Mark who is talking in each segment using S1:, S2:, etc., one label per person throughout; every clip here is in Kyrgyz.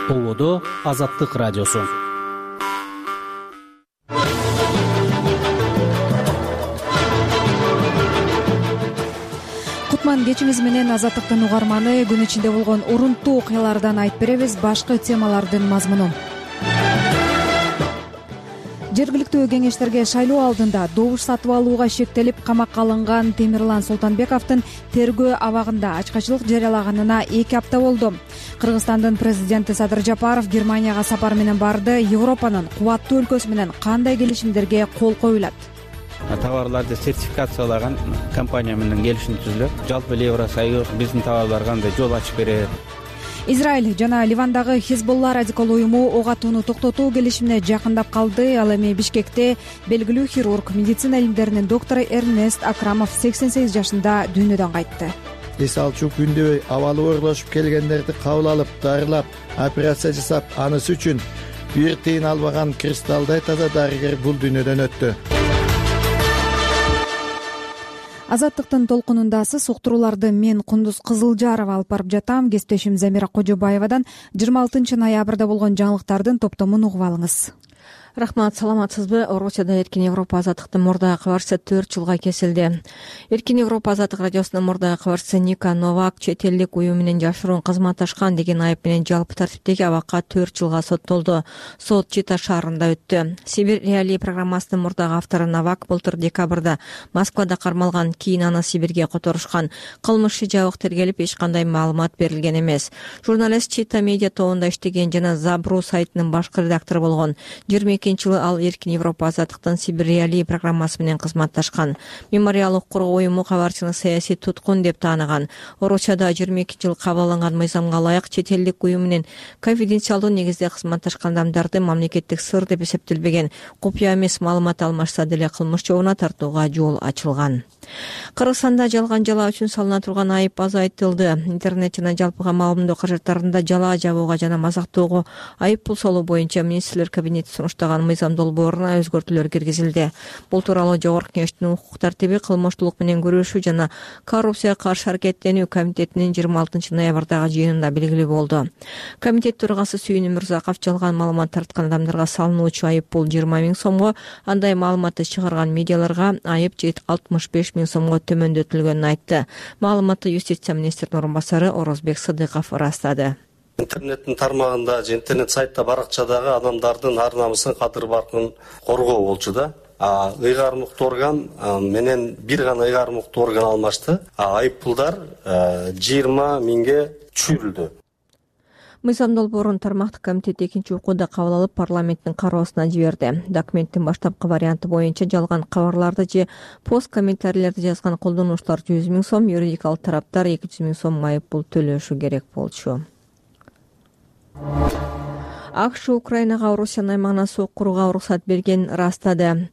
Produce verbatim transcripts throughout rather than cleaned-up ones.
S1: Ободо Азаттык радиосу.
S2: Кутман кечиңиз менен Азаттыктын угарманы күн ичинде болгон урунттуу окуялардан айтып беребиз башкы темалардын мазмунун. Жергиликтүү кеңештерге шайлоо алдында добуш сатып алууга шектелип камакка алынган Темирлан Султанбековдун тергөө абагында ачкачылык жарыялаганына эки апта болду. Кыргызстандын президенти Садыр Жапаров Германияга сапар менен барды. Европанын кубаттуу өлкөсү менен кандай келишимдерге кол коюлат?
S3: Товарларды сертификациялаган компания менен келишим түзүлөт. Жалпы Евросоюз биздин товарларга андай жол ачып берет.
S2: Израиль жана Ливандагы Хизбулла радикал уюму ок атууну токтотуу келишимине жакындап калды. Ал эми Бишкекте белгилүү хирург, медицина илимдеринин доктору Эрнест Акрамов сексен сегиз жашында дүйнөдөн кайтты.
S4: Эс алчу күндөбөй абалы оорлошуп келгендерди кабыл алып, дарылап, операция жасап, анысы үчүн бир тыйын албаган кристаллдай таза дарыгер бул дүйнөдөн өттү.
S2: Азаттыктын толкунундасыз уктурууларды мен Кундуз Кызылжарова алып барып жатам. Кесиптешим Замира Кожобаевадан жыйырма алтынчы ноябрда болгон жаңылыктардын топтомун угуп алыңыз.
S5: Рахмат, саламатсызбы? Орусияда Эркин Европа азаттыктын мурдагы кабарчысы төрт жылга кесилди. Эркин Европа азаттык радиосунун мурдагы кабарчысы Ника Новак чет элдик уюм менен жашыруун кызматташкан деген айып менен жалпы тартиптеги абакка төрт жылга соттолду. Сот Чита шаарында өттү. Сибирь реалии программасынын мурдагы автору Новак былтыр декабрда Москвада кармалган, кийин аны Сибирге которушкан. Кылмышы жабык тергелип, эч кандай маалымат берилген эмес. Журналист Чита медиа тобунда иштеген жана Забру сайтынын башкы редактору болгон. жыйырма экинчи жылы ал Эркин Европа азаттыктын Сибирь реалии программасы менен кызматташкан. Мемориалдык коргоо уюму кабарчыны саясий туткун деп тааныган. Орусияда жыйырма экинчи жылы кабыл алынган мыйзамга ылайык чет элдик уюм менен конфиденциалдуу негизде кызматташкан адамдарды мамлекеттик сыр деп эсептелбеген, купуя эмес маалымат алмашса деле кылмыш жообуна тартууга жол ачылган. Кыргызстанда жалган жала үчүн салына турган айып азайтылды. Интернет жана жалпыга маалымдоо каражаттарында жала жабууга жана мазактоого айып пул салуу боюнча министрлер кабинети сунуштаган мыйзам долбооруна өзгөртүүлөр киргизилди. Бул тууралуу Жогорку Кеңештин укук тартиби, кылмыштуулук менен күрөшүү жана коррупцияга каршы аракеттенүү комитетинин жыйырма алтынчы ноябрдагы жыйынында белгилүү болду. Комитет төрагасы Сүйүн Мырзаков жалган маалымат тарткан адамдарга салынуучу айып пул жыйырма миң сомго, андай маалыматты чыгарган медиаларга айып алтымыш беш миң сомго төмөндөтүлгөнүн айтты. Маалыматты юстиция министринин орун басары Орозбек Сыдыков ырастады.
S6: Интернеттин тармагында же интернет сайтта баракчадагы адамдардын ар намысын, кадыр баркын коргоо болчу да. А ыйгарым укуктуу орган менен бир гана ыйгарым укуктуу орган алмашты. А айып пулдар жыйырма миңге түшүрүлдү.
S5: Мыйзам долбоорун тармактык комитет экинчи окууда кабыл алып, парламенттин кароосуна жиберди. Документтин баштапкы варианты боюнча жалган кабарларды же пост комментарийлерди жазган колдонуучулар жүз миң сом, юридикалык тараптар эки жүз миң сом айып пул төлөшү керек болчу. АКШ Украинага Орусиянын аймагына сок курууга уруксат бергенин ырастады.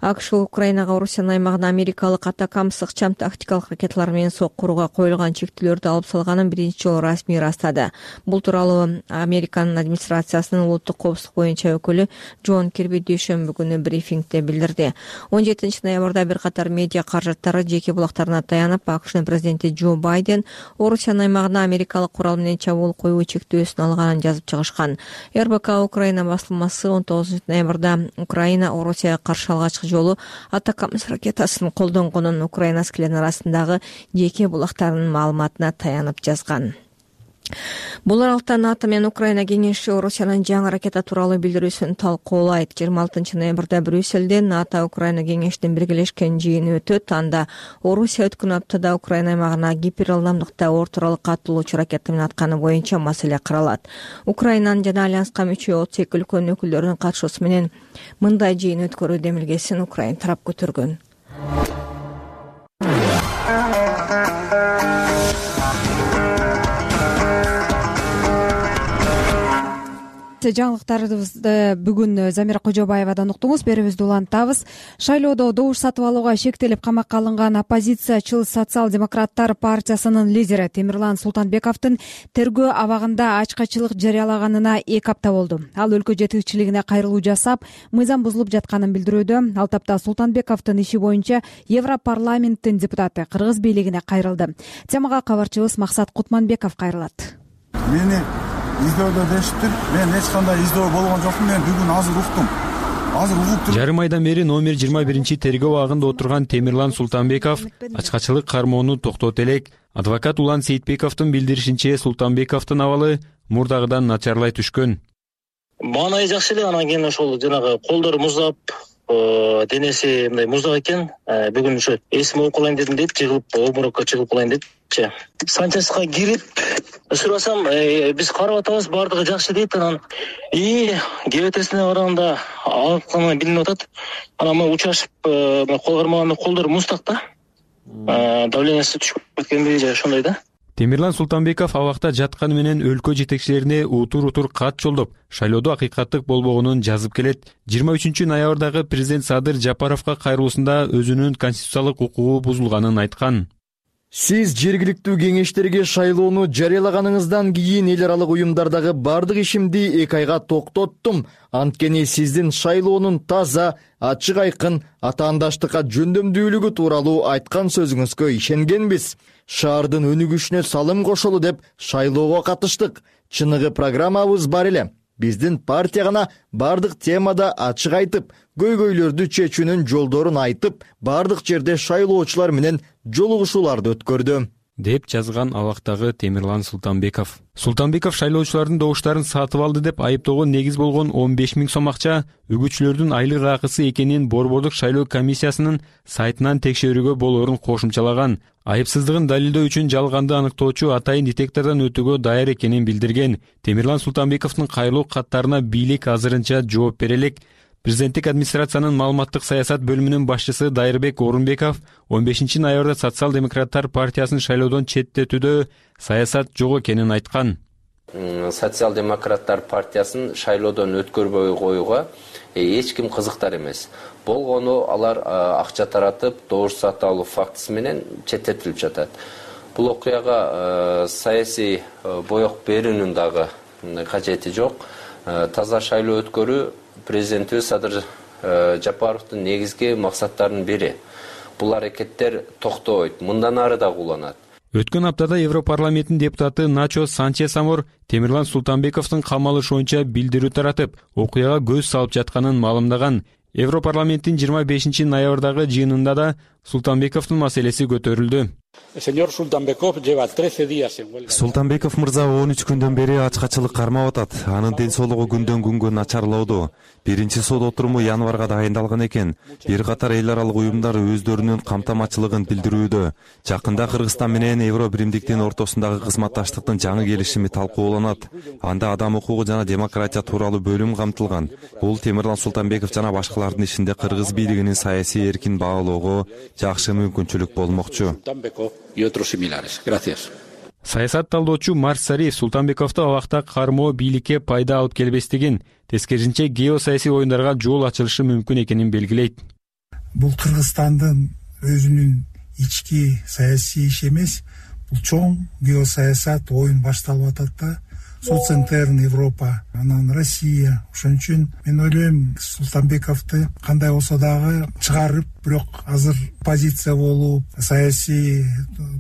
S5: АКШ Украинага Орусиянын аймагына америкалык Атакамс ыкчам тактикалык ракеталар менен сок курууга коюлган чектөөлөрдү алып салганын биринчи жолу расмий ырастады. Бул тууралуу Американын администрациясынын улуттук коопсуздук боюнча өкүлү Джон Кирби дүйшөмбү күнү брифингде билдирди. он жетинчи ноябрда бир катар медиа каражаттары жеке булактарына таянып, АКШнын президенти Джо Байден Орусиянын аймагына америкалык курал менен чабуул коюу чектөөсүн алганын жазып чыгышкан. эр бэ ка Украина басылмасы он тогузунчу ноябрда Украина Орусияга каршы алгачкы жолу Атакамс ракетасын колдонгонун Украина аскерлеринин арасындагы жеке булактарынын маалыматына таянып жазган. Бул аралыкта НАТО менен Украина кеңеши Орусиянын жаңы ракета тууралуу билдирүүсүн талкуулайт. жыйырма алтынчы ноябрда Брюссельде НАТО Украина кеңешинин биргелешкен жыйыны өтөт. Анда Орусия өткөн аптада Украина аймагына гиперылдамдыкта орторалыкка атылуучу ракета менен атканы боюнча маселе каралат. Украинанын жана альянска мүчө отуз эки өлкөнүн өкүлдөрүнүн катышуусу менен мындай жыйын өткөрүү демилгесин Украина тарап көтөргөн.
S2: Жаңылыктарыбызды бүгүн Замира Кожобаевадан уктуңуз. Берүүбүздү улантабыз. Шайлоодо добуш сатып алууга шектелип камакка алынган оппозициячыл Социал-демократтар партиясынын лидери Темирлан Султанбековдун тергөө абагында ачкачылык жарыялаганына эки апта болду. Ал өлкө жетекчилигине кайрылуу жасап, мыйзам бузулуп жатканын билдирүүдө. Ал тапта Султанбековдун иши боюнча Европарламенттин депутаты Кыргыз бийлигине кайрылды. Темага кабарчыбыз Максат Кутманбеков кайрылат.
S7: Мени издөөдө дешиптир. Мен эч кандай издөө болгон жокмун. Мен бүгүн азыр уктум. Азыр угуп туруп.
S8: Жарым айдан бери номер жыйырма биринчи тергөө абагында отурган Темирлан Султанбеков ачкачылык кармоону токтото элек. Адвокат Улан Сейитбековдун билдиришинче, Султанбековдун абалы мурдагыдан начарлай түшкөн.
S9: Маанайы жакшы эле, анан кийин ошол жанагы колдору муздап, денеси мындай муздак экен. Бүгүн ошо эсим алып калайын дедим дейт, жыгылып обморокко чыгып калайын депчи. Санчаска кирип сурасам, биз карап атабыз, баардыгы жакшы дейт. Анан и ГВТсине барганда алканы билинип атат. Анан мен учашып, кол кармаганда колдору муздак да. Давлениясы түшүп кеткенби же ошондой да.
S8: Темирлан Султанбеков абакта жатканы менен өлкө жетекчилерине утур-утур кат жолдоп, шайлоодо акыйкаттык болбогонун жазып келет. жыйырма үчүнчү ноябрдагы президент Садыр Жапаровго кайрылуусунда өзүнүн конституциялык укугу бузулганын айткан.
S10: Сиз жергиликтүү кеңештерге шайлоону жарыялаганыңыздан кийин эл аралык уюмдардагы бардык ишимди эки айга токтоттум. Анткени сиздин шайлоонун таза, ачык айкын атаандаштыкка жөндөмдүүлүгү тууралуу айткан сөзүңүзгө ишенгенбиз. Шаардын өнүгүшүнө салым кошолу деп шайлоого катыштык. Чыныгы программабыз бар эле. Биздин партия гана бардык темада ачык айтып, көйгөйлөрдү чечүүнүн жолдорун айтып, бардык жерде шайлоочулар менен жолугушууларды өткөрдү,
S8: деп жазган абактагы Темирлан Султанбеков. Султанбеков шайлоочулардын добуштарын сатып алды деп айыптоого негиз болгон он беш миң сом акча үгүтчүлөрдүн айлык акысы экенин Борбордук шайлоо комиссиясынын сайтынан текшерүүгө болоорун кошумчалаган. Айыпсыздыгын далилдөө үчүн жалганды аныктоочу атайын детектордон өтүүгө даяр экенин билдирген. Темирлан Султанбековдун кайрылуу каттарына бийлик азырынча жооп бере элек. Президенттик администрациянын маалыматтык саясат бөлүмүнүн башчысы Дайырбек Орунбеков он бешинчи ноябрда Социал-демократтар партиясын шайлоодон четтетүүдө саясат жок экенин айткан.
S11: Социал-демократтар партиясын шайлоодон өткөрбөй коюуга эч ким кызыктар эмес. Болгону алар акча таратып, добуш сатып алуу фактысы менен четтетилип жатат. Бул окуяга саясий боек берүүнүн дагы кажети жок. Таза шайлоо өткөрүү президентибиз Садыр Жапаровдун негизги максаттарынын бири. Бул аракеттер токтобойт, мындан ары да уланат.
S8: Өткөн аптада Европарламенттин депутаты Начо Санчес Амор Темирлан Султанбековдун камалышы боюнча билдирүү таратып, окуяга көз салып жатканын маалымдаган. Европарламенттин жыйырма бешинчи ноябрдагы жыйынында да Султанбековдун маселеси көтөрүлдү.
S12: Султанбеков мырза он үч күндөн бери ачкачылык кармап атат. Анын ден соолугу күндөн күнгө начарлоодо. Биринчи сот отуруму январга дайындалган экен. Бир катар эл аралык уюмдар өздөрүнүн камтамачылыгын билдирүүдө. Жакында Кыргызстан менен Евро биримдиктин ортосундагы кызматташтыктын жаңы келишими талкууланат. Анда адам укугу жана демократия тууралуу бөлүм камтылган. Бул Темирлан Султанбеков жана башкалардын ишинде кыргыз бийлигинин саясий эркин баалоого жакшы мүмкүнчүлүк болмокчу.
S8: Саясат талдоочу Марс Сариев Султанбековду абакта кармоо бийликке пайда алып келбестигин, тескерисинче геосаясий оюндарга жол ачылышы мүмкүн экенин белгилейт.
S13: Бул Кыргызстандын өзүнүн ички саясий иши эмес, бул чоң геосаясат оюн башталып атат да. Соцентерн Европа, анан Россия. Ошон үчүн мен ойлойм, Султанбековду кандай болсо дагы чыгарып, бирок азыр позиция болуп, саясий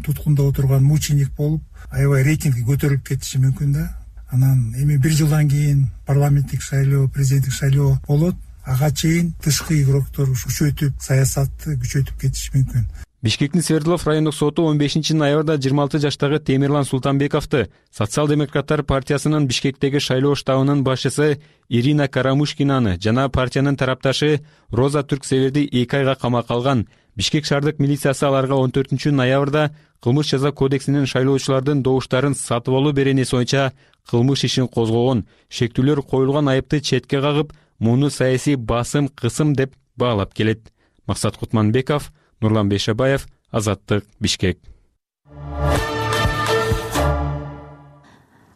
S13: туткунда отурган мученик болуп, аябай рейтинги көтөрүлүп кетиши мүмкүн да. Анан эми бир жылдан кийин парламенттик шайлоо, президенттик шайлоо болот. Ага чейин тышкы игроктор күчөтүп, саясатты күчөтүп кетиши мүмкүн.
S8: Бишкектин Свердлов райондук соту он бешинчи ноябрда жыйырма алты жаштагы Темирлан Султанбековду Социал-демократтар партиясынын Бишкектеги шайлоо штабынын башчысы Ирина Карамушкинаны жана партиянын тарапташы Роза Түрксеверди эки айга камакка алган. Бишкек шаардык милициясы аларга он төртүнчү ноябрда кылмыш жаза кодексинин шайлоочулардын добуштарын сатып алуу беренеси боюнча кылмыш ишин козгогон. Шектүүлөр коюлган айыпты четке кагып, муну саясий басым, кысым деп баалап келет. Максат Кутманбеков, Нурлан Бейшебаев, Азаттык, Бишкек.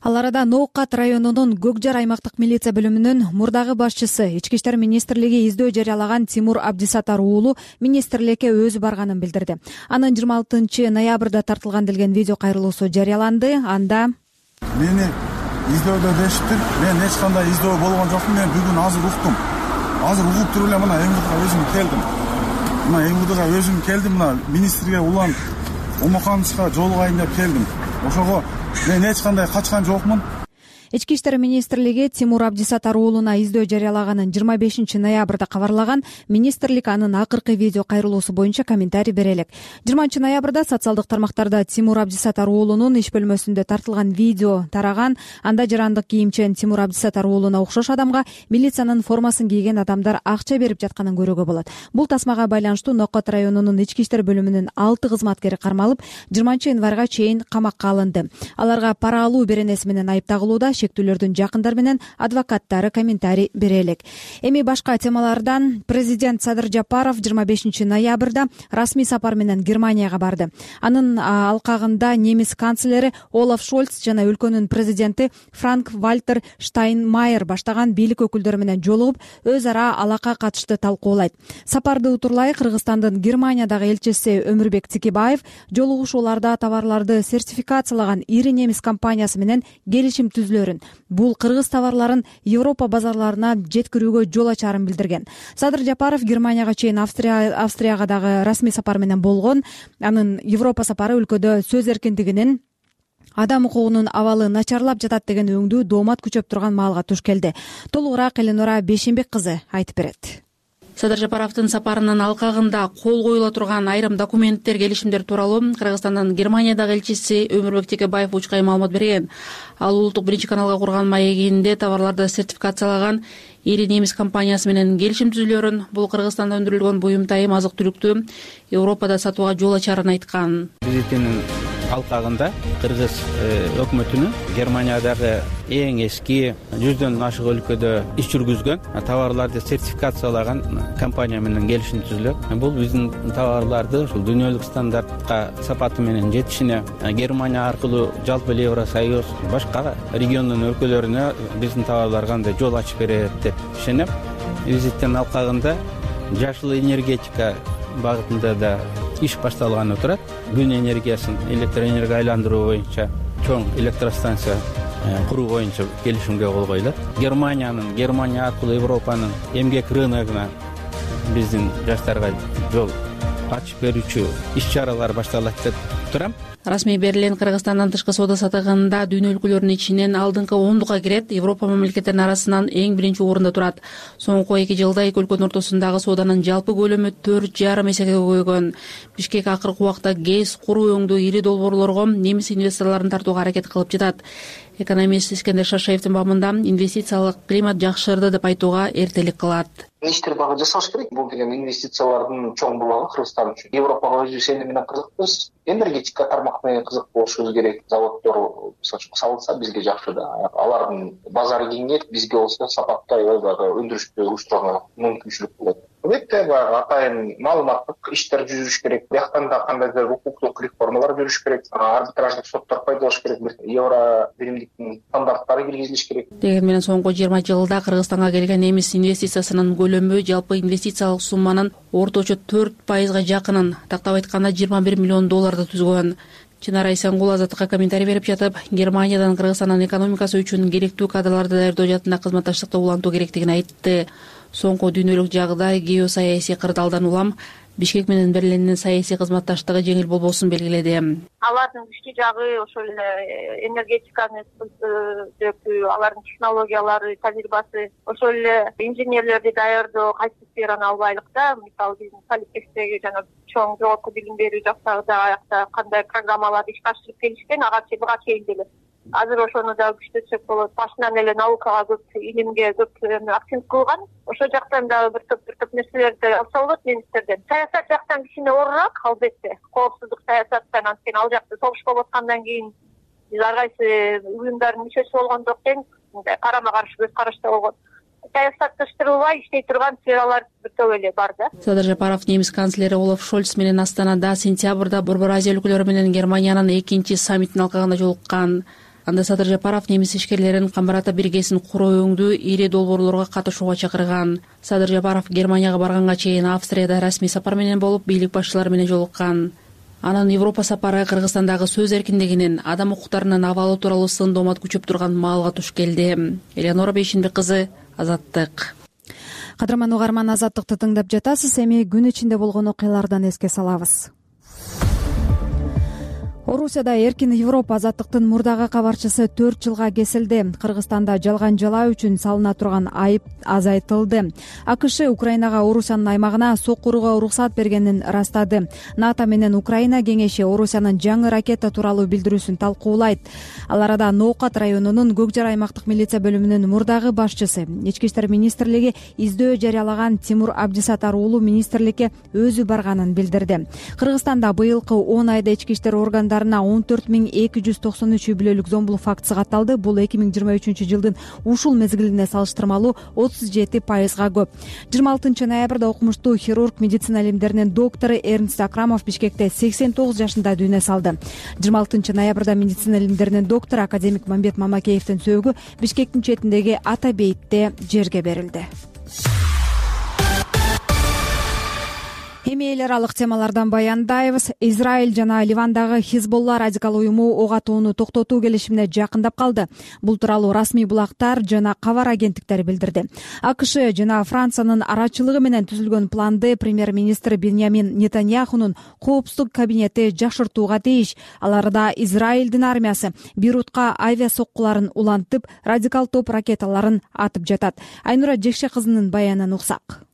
S2: Ал арада Ноокат районунун Көкжар аймактык милиция бөлүмүнүн мурдагы башчысы, Ички иштер министрлиги издөө жарыялаган Тимур Абдисатар уулу министрликке өзү барганын билдирди. Анын жыйырма алтынчы ноябрда тартылган делген видео кайрылуусу жарыяланды. Анда
S7: мени издөөдө дешиптир. Мен эч кандай издөө болгон жокмун. Мен бүгүн азыр уктум. Азыр угуп туруп эле мына Эмгудга өзүм келдим. Мына Эмгудга өзүм келдим. Мына министрге улан Омокановичка жолугайын деп келдим. Ошого мен эч кандай качкан жокмун.
S2: Ички иштер министрлиги Тимур Абдисаттар уулуна издөө жарыялаганын жыйырма бешинчи ноябрда кабарлаган. Министрлик анын акыркы видео кайрылуусу боюнча комментарий бере элек. жыйырманчы ноябрда социалдык тармактарда Тимур Абдисаттар уулунун иш бөлмөсүндө тартылган видео тараган. Анда жарандык кийимчен Тимур Абдисаттар уулуна окшош адамга милициянын формасын кийген адамдар акча берип жатканын көрүүгө болот. Бул тасмага байланыштуу Нокот районунун ички иштер бөлүмүнүн алты кызматкери кармалып, жыйырманчы январга чейин камакка алынды. Аларга пара алуу беренеси менен айыпталууда. Шектүүлөрдүн жакындары менен адвокаттары комментарий бере элек. Эми башка темалардан президент Садыр Жапаров жыйырма бешинчи ноябрда расмий сапар менен Германияга барды. Анын алкагында немис канцлери Олаф Шольц жана өлкөнүн президенти Франк Вальтер Штайнмайер баштаган бийлик өкүлдөрү менен жолугуп, өз ара алака катышты талкуулайт. Сапарды утурлай Кыргызстандын Германиядагы элчиси Өмүрбек Тикибаев жолугушууларда товарларды сертификациялаган ири немис компаниясы менен келишим түзүлөрүн, бул кыргыз товарларын Европа базарларына жеткирүүгө жол ачарын билдирген. Садыр Жапаров Германияга чейин Австрия Австрияга дагы расмий сапар менен болгон. Анын Европа сапары өлкөдө сөз эркиндигинин, адам укугунун абалы начарлап жатат деген өңдүү доомат күчөп турган маалга туш келди. Толугураак Эленора Бейшенбек кызы айтып берет.
S14: Садыр Жапаровдун сапарынын алкагында кол коюла турган айрым документтер, келишимдер тууралуу Кыргызстандын Германиядагы элчиси Өмүрбек Текебаев учкай маалымат берген. Ал улуттук биринчи каналга курган маегинде товарларды сертификациялаган ири немис компаниясы менен келишим түзүлөрүн, бул Кыргызстанда өндүрүлгөн буюм-тайым азык-түлүктү Европада сатууга жол ачарын айткан.
S3: Визитинин алкагында кыргыз өкмөтүнүн Германиядагы эң эски жүздөн ашык өлкөдө иш жүргүзгөн товарларды сертификациялаган компания менен келишим түзүлөт. Бул биздин товарларды ушул дүйнөлүк стандартка сапаты менен жетишине, Германия аркылуу жалпы эле Евросоюз башка региондун өлкөлөрүнө биздин товарларга андай жол ачып берет деп ишенем. Визиттин алкагында жашыл энергетика багытында да иш башталганы турат. Күн энергиясын электроэнергияга айландыруу боюнча чоң электростанция куруу боюнча келишимге кол коюлат. Германиянын Германия аркылуу Европанын эмгек рыногуна биздин жаштарга жол ачып берүүчү иш-чаралар башталат деп турам.
S14: Расмий берилген Кыргызстандын тышкы соода сатыгында дүйнө өлкөлөрүнүн ичинен алдыңкы ондукка кирет, Европа мамлекеттеринин арасынан эң биринчи орунда турат. Соңку эки жылда эки өлкөнүн ортосундагы сооданын жалпы көлөмү төрт жарым эсеге көбөйгөн. Бишкек акыркы убакта гез, куруу өңдүү ири долбоорлорго немис инвесторлорун тартууга аракет кылып жатат. Экономист Искендер Шашаевдин бабында инвестициялык климат жакшырды деп айтууга эртелик кылат.
S15: Иштер багы жасаш керек. Бул деген инвестициялардын чоң булагы Кыргызстан үчүн. Европага өзүбүз сени менен кызыкпыз. Энергетика тармак менен кызык болушубуз керек. Заводдор салынса бизге жакшы да. Алардын базары кеңейет, бизге болсо сапаттай өндүрүштү уюштурууга мүмкүнчүлүк болот. Албетте баягы атайын маалыматтык иштер жүрүш керек. Бияктан да кандайдыр укуктук реформалар жүрүш керек. Арбитраждык соттор пайдалаш керек. Евро биримдиктин стандарттары киргизилиш керек.
S14: Деген менен соңку жыйырма жылда Кыргызстанга келген немис инвестициясынын көлөмү жалпы инвестициялык сумманын орточо төрт пайызга жакынын, тактап айтканда жыйырма бир миллион долларды түзгөн. Чынара Исенгул Азаттыкка комментарий берип жатып, Германиядан Кыргызстандын экономикасы үчүн керектүү кадрларды даярдоо жаатында кызматташтыкты улантуу керектигин айтты. Соңку дүйнөлүк жагдай геосаясий кырдаалдан улам Бишкек менен Берлиндин саясий кызматташтыгы жеңил болбосун белгиледи.
S16: Алардын күчтүү жагы ошол эле энергетиканы дөкүү, алардын технологиялары, тажрыйбасы, ошол эле инженерлерди даярдоо кайсы сфераны албайлык да. Мисалы биздин политтехдеги жана чоң жогорку билим берүү жактагы да аякта кандай программаларды ишке ашырып келишкен, ага чейин буга чейин деле. Азыр ошону да күчтөтсөк болот. Башынан эле наукага көп, илимге көп акцент кылган. Ошол жактан дагы бир топ бир топ нерселерди алса болот немистерден. Саясат жактан кичине оорураак, албетте. Коопсуздук саясаттан, анткени ал жакта согуш болуп аткандан кийин биз ар кайсы уюмдардын мүчөсү болгондук тең мындай карама каршы көз карашта болгон. Саясатташтырылбай иштей турган сфералар бир топ эле бар да.
S14: Садыр Жапаров немис канцлери Олаф Шольц менен Астанада сентябрда Борбор Азия өлкөлөрү менен Германиянын экинчи саммитинин алкагында жолуккан. Анда Садыр Жапаров немис ишкерлерин Камбарата биргесин куруу өңдүү ири долбоорлорго катышууга чакырган. Садыр Жапаров Германияга барганга чейин Австрияда расмий сапар менен болуп, бийлик башчылары менен жолуккан. Анын Европа сапары Кыргызстандагы сөз эркиндигинин, адам укуктарынын абалы тууралуу сын доомат күчөп турган маалга туш келди. Эленора Бейшенбек кызы, Азаттык.
S2: Кадырман угарман, Азаттыкты тыңдап жатасыз. Эми күн ичинде болгон окуялардан эске салабыз. Орусияда эркин Европа азаттыктын мурдагы кабарчысы төрт жылга кесилди. Кыргызстанда жалган жалаа үчүн салына турган айып азайтылды. АКШ Украинага Орусиянын аймагына сок курууга уруксат бергенин ырастады. НАТО менен Украина кеңеши Орусиянын жаңы ракета тууралуу билдирүүсүн талкуулайт. Ал арада Ноокат районунун Көк Жар аймактык милиция бөлүмүнүн мурдагы башчысы, Ички иштер министрлиги издөө жарыялаган Тимур Абдисатар уулу министрликке өзү барганын билдирди. Кыргызстанда быйылкы он айда ички иштер органдарына он төрт миң эки жүз токсон үч үй бүлөлүк зомбулук фактысы катталды. Бул эки миң жыйырма үчүнчү жылдын ушул мезгилине салыштырмалуу отуз жети пайызга көп. жыйырма алтынчы ноябрда окумуштуу хирург, медицина илимдеринин доктору Эрнст Акрамов Бишкекте сексен тогуз жашында дүйнө салды. жыйырма алтынчы ноябрда медицина илимдеринин доктору академик Мамбет Мамакеевдин сөөгү Бишкектин четиндеги Ата бейитте жерге берилди. Эми эл аралык темалардан баяндайбыз. Израиль жана Ливандагы Хизболла радикал уюму ок атууну токтотуу келишимине жакындап калды. Бул тууралуу расмий булактар жана кабар агенттиктери билдирди. АКШ жана Франциянын арачылыгы менен түзүлгөн планды премьер-министр Беньямин Нетаньяхунун коопсуздук кабинети жакшыртууга тийиш. Ал арада Израилдин армиясы Бейрутка авиа соккуларын улантып, радикал топ ракеталарын атып жатат. Айнура Жекше кызынын баянын уксак.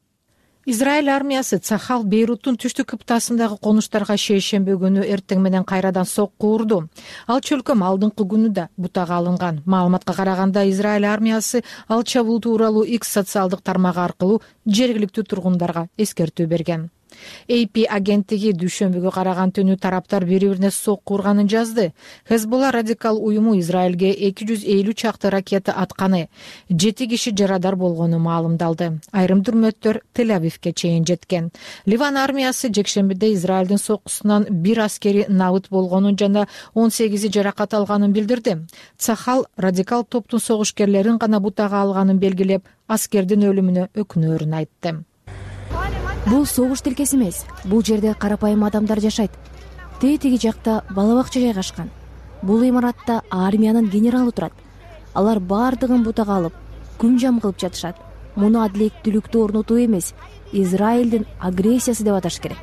S17: Израиль армиясы Цахал Бейруттун түштүк кыптасындагы конуштарга шейшемби күнү эртең менен кайрадан сокку урду. Ал чөлкөм алдыңкы күнү да бутага алынган. Маалыматка караганда Израиль армиясы ал чабуул тууралуу X социалдык тармагы аркылуу жергиликтүү тургундарга эскертүү берген. эй пи агенттиги дүйшөмбүгө караган түнү тараптар бири-бирине сокку урганын жазды. Хезболла радикал уюму Израилге эки жүз элүү чакты ракета атканы, жети киши жарадар болгону маалымдалды. Айрым дүрмөттөр Тель-Авивке чейин жеткен. Ливан армиясы жекшембиде Израилдин соккусунан бир аскери набыт болгонун жана он сегизи жаракат алганын билдирди. Цахал радикал топтун согушкерлерин гана бутага алганын белгилеп, аскердин өлүмүнө өкүнөрүн айтты.
S18: Бул согуш тилкеси эмес. Бул жерде карапайым адамдар жашайт. Тетиги жакта бала бакча жайгашкан. Бул имаратта армиянын генералы турат. Алар бардыгын бутага алып, күнжам кылып жатышат. Муну адилеттүүлүктү орнотуу эмес, Израилдин агрессиясы деп аташ керек.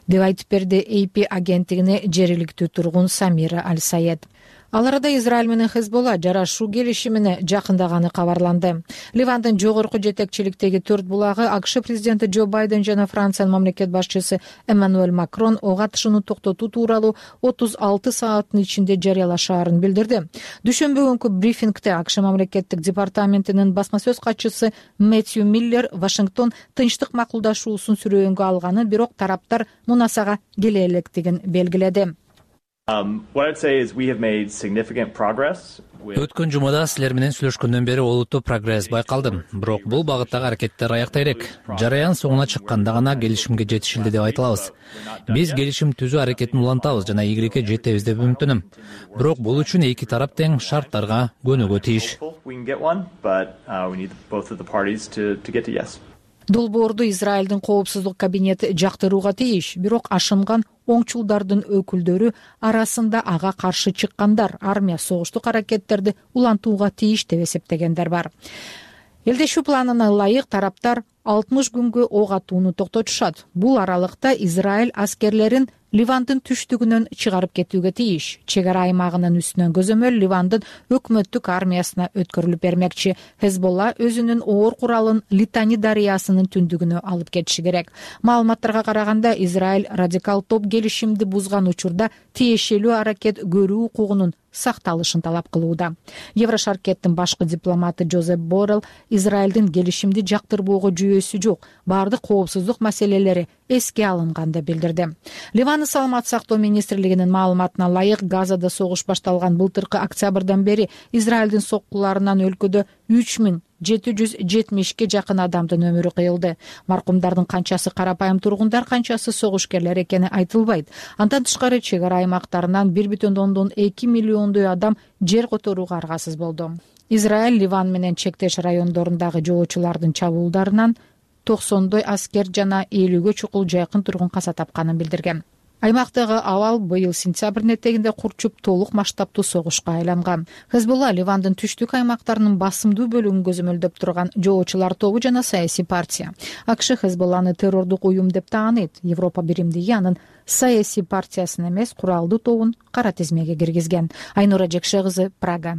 S17: деп айтып берди эй пи агенттигине жергиликтүү тургун Самира Аль-Саед. Ал арада Израиль менен Хезболла жарашуу келишимине жакындаганы кабарланды. Ливандын жогорку жетекчиликтеги төрт булагы АКШ президенти Джо Байден жана Франциянын мамлекет башчысы Эммануэль Макрон ок атышууну токтотуу тууралуу отуз алты сааттын ичинде жарыялашаарын билдирди. Дүйшөмбү күнкү брифингде АКШ мамлекеттик департаментинин басма сөз катчысы Мэтью Миллер Вашингтон тынчтык макулдашуусун сүрөөнгө алганын, бирок тараптар мунасага келе электигин белгиледи.
S1: Өткөн жумада силер менен сүйлөшкөндөн бери олуттуу прогресс байкалды. Бирок бул багыттагы аракеттер аякта элек. Жараян соңуна чыкканда гана келишимге жетишилди деп айта алабыз. Биз келишим түзүү аракетин улантабыз жана ийгиликке жетебиз деп үмүттөнөм. Бирок бул үчүн эки тарап тең шарттарга көнүүгө тийиш.
S17: Долбоорду Израилдин коопсуздук кабинети жактырууга тийиш, бирок ашынган оңчулдардын өкүлдөрү арасында ага каршы чыккандар армия согуштук аракеттерди улантууга тийиш деп эсептегендер бар. Элдешүү планына ылайык тараптар алтымыш күнгө ок атууну токтотушат. Бул аралыкта Израиль аскерлерин Ливандын түштүгүнөн чыгарып кетүүгө тийиш. Чек ара аймагынын үстүнөн көзөмөл Ливандын өкмөттүк армиясына өткөрүлүп бермекчи. Хезболла өзүнүн оор куралын Литани дарыясынын түндүгүнө алып кетиши керек. Маалыматтарга караганда Израиль радикал топ келишимди бузган учурда тиешелүү аракет көрүү укугунун сакталышын талап кылууда. Еврошаркеттин башкы дипломаты Жозеп Боррелл Израилдин келишимди жактырбоого жүйөсү жок, баардык коопсуздук маселелери эске алынган деп билдирди. Ливандын саламаттык сактоо министрлигинин маалыматына ылайык, Газада согуш башталган былтыркы октябрдан бери Израилдин соккуларынан өлкөдө үч миң жети жүз жетимишке жакын адамдын өмүрү кыйылды. Маркумдардын канчасы карапайым тургундар, канчасы согушкерлер экени айтылбайт. Андан тышкары чек ара аймактарынан бир бүтүн ондон эки миллиондой адам жер которууга аргасыз болду. Израиль Ливан менен чектеш райондорундагы жоочулардын чабуулдарынан токсондой аскер жана элүүгө чукул жайкын тургун каза тапканын билдирген. аймактагы абал быйыл сентябрдын этегинде курчуп толук масштабтуу согушка айланган. Хезбулла Ливандын түштүк аймактарынын басымдуу бөлүгүн көзөмөлдөп турган жоочулар тобу жана саясий партия. АКШ Хезбулланы террордук уюм деп тааныйт. Европа биримдиги анын саясий партиясын эмес, куралдуу тобун кара тизмеге киргизген. Айнура Жекше кызы, Прага.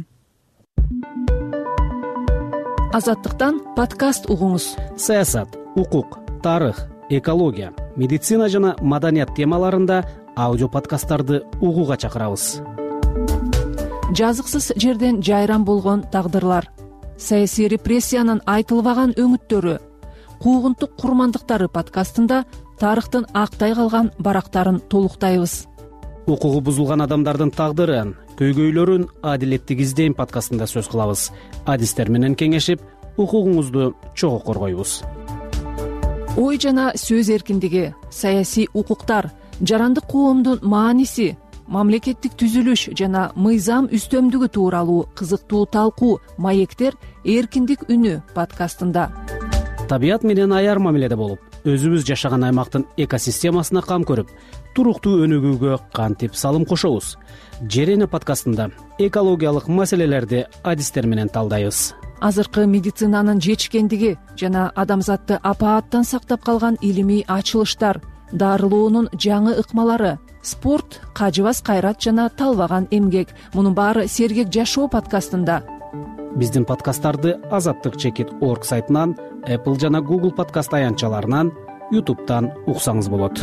S19: Азаттыктан подкаст угуңуз.
S20: Саясат, укук, тарых, экология, медицина жана маданият темаларында аудио подкасттарды угууга чакырабыз.
S19: Жазыксыз жерден жайран болгон тагдырлар, саясий репрессиянын айтылбаган өңүттөрү, куугунтук курмандыктары подкастында тарыхтын актай калган барактарын толуктайбыз.
S20: Укугу бузулган адамдардын тагдырын, көйгөйлөрүн адилеттик издейм подкастында сөз кылабыз. Адистер менен кеңешип, укугуңузду чогуу коргойбуз.
S19: Ой жана сөз эркиндиги, саясий укуктар, жарандык коомдун мааниси, мамлекеттик түзүлүш жана мыйзам үстөмдүгү тууралуу кызыктуу талкуу, маектер эркиндик үнү подкастында.
S20: Табият менен аяр мамиледе болуп, өзүбүз жашаган аймактын экосистемасына кам көрүп, туруктуу өнүгүүгө кантип салым кошобуз. Жер эне подкастында экологиялык маселелерди адистер менен талдайбыз.
S19: Азыркы медицинанын жетишкендиги жана адамзатты апааттан сактап калган илимий ачылыштар, дарылоонун жаңы ыкмалары, спорт, кажыбас кайрат жана талбаган эмгек. Мунун баары сергек жашоо подкастында.
S20: Биздин подкасттарды азаттык чекит орг сайтынан, Apple жана Google подкаст аянтчаларынан, YouTube'дан уксаңыз болот.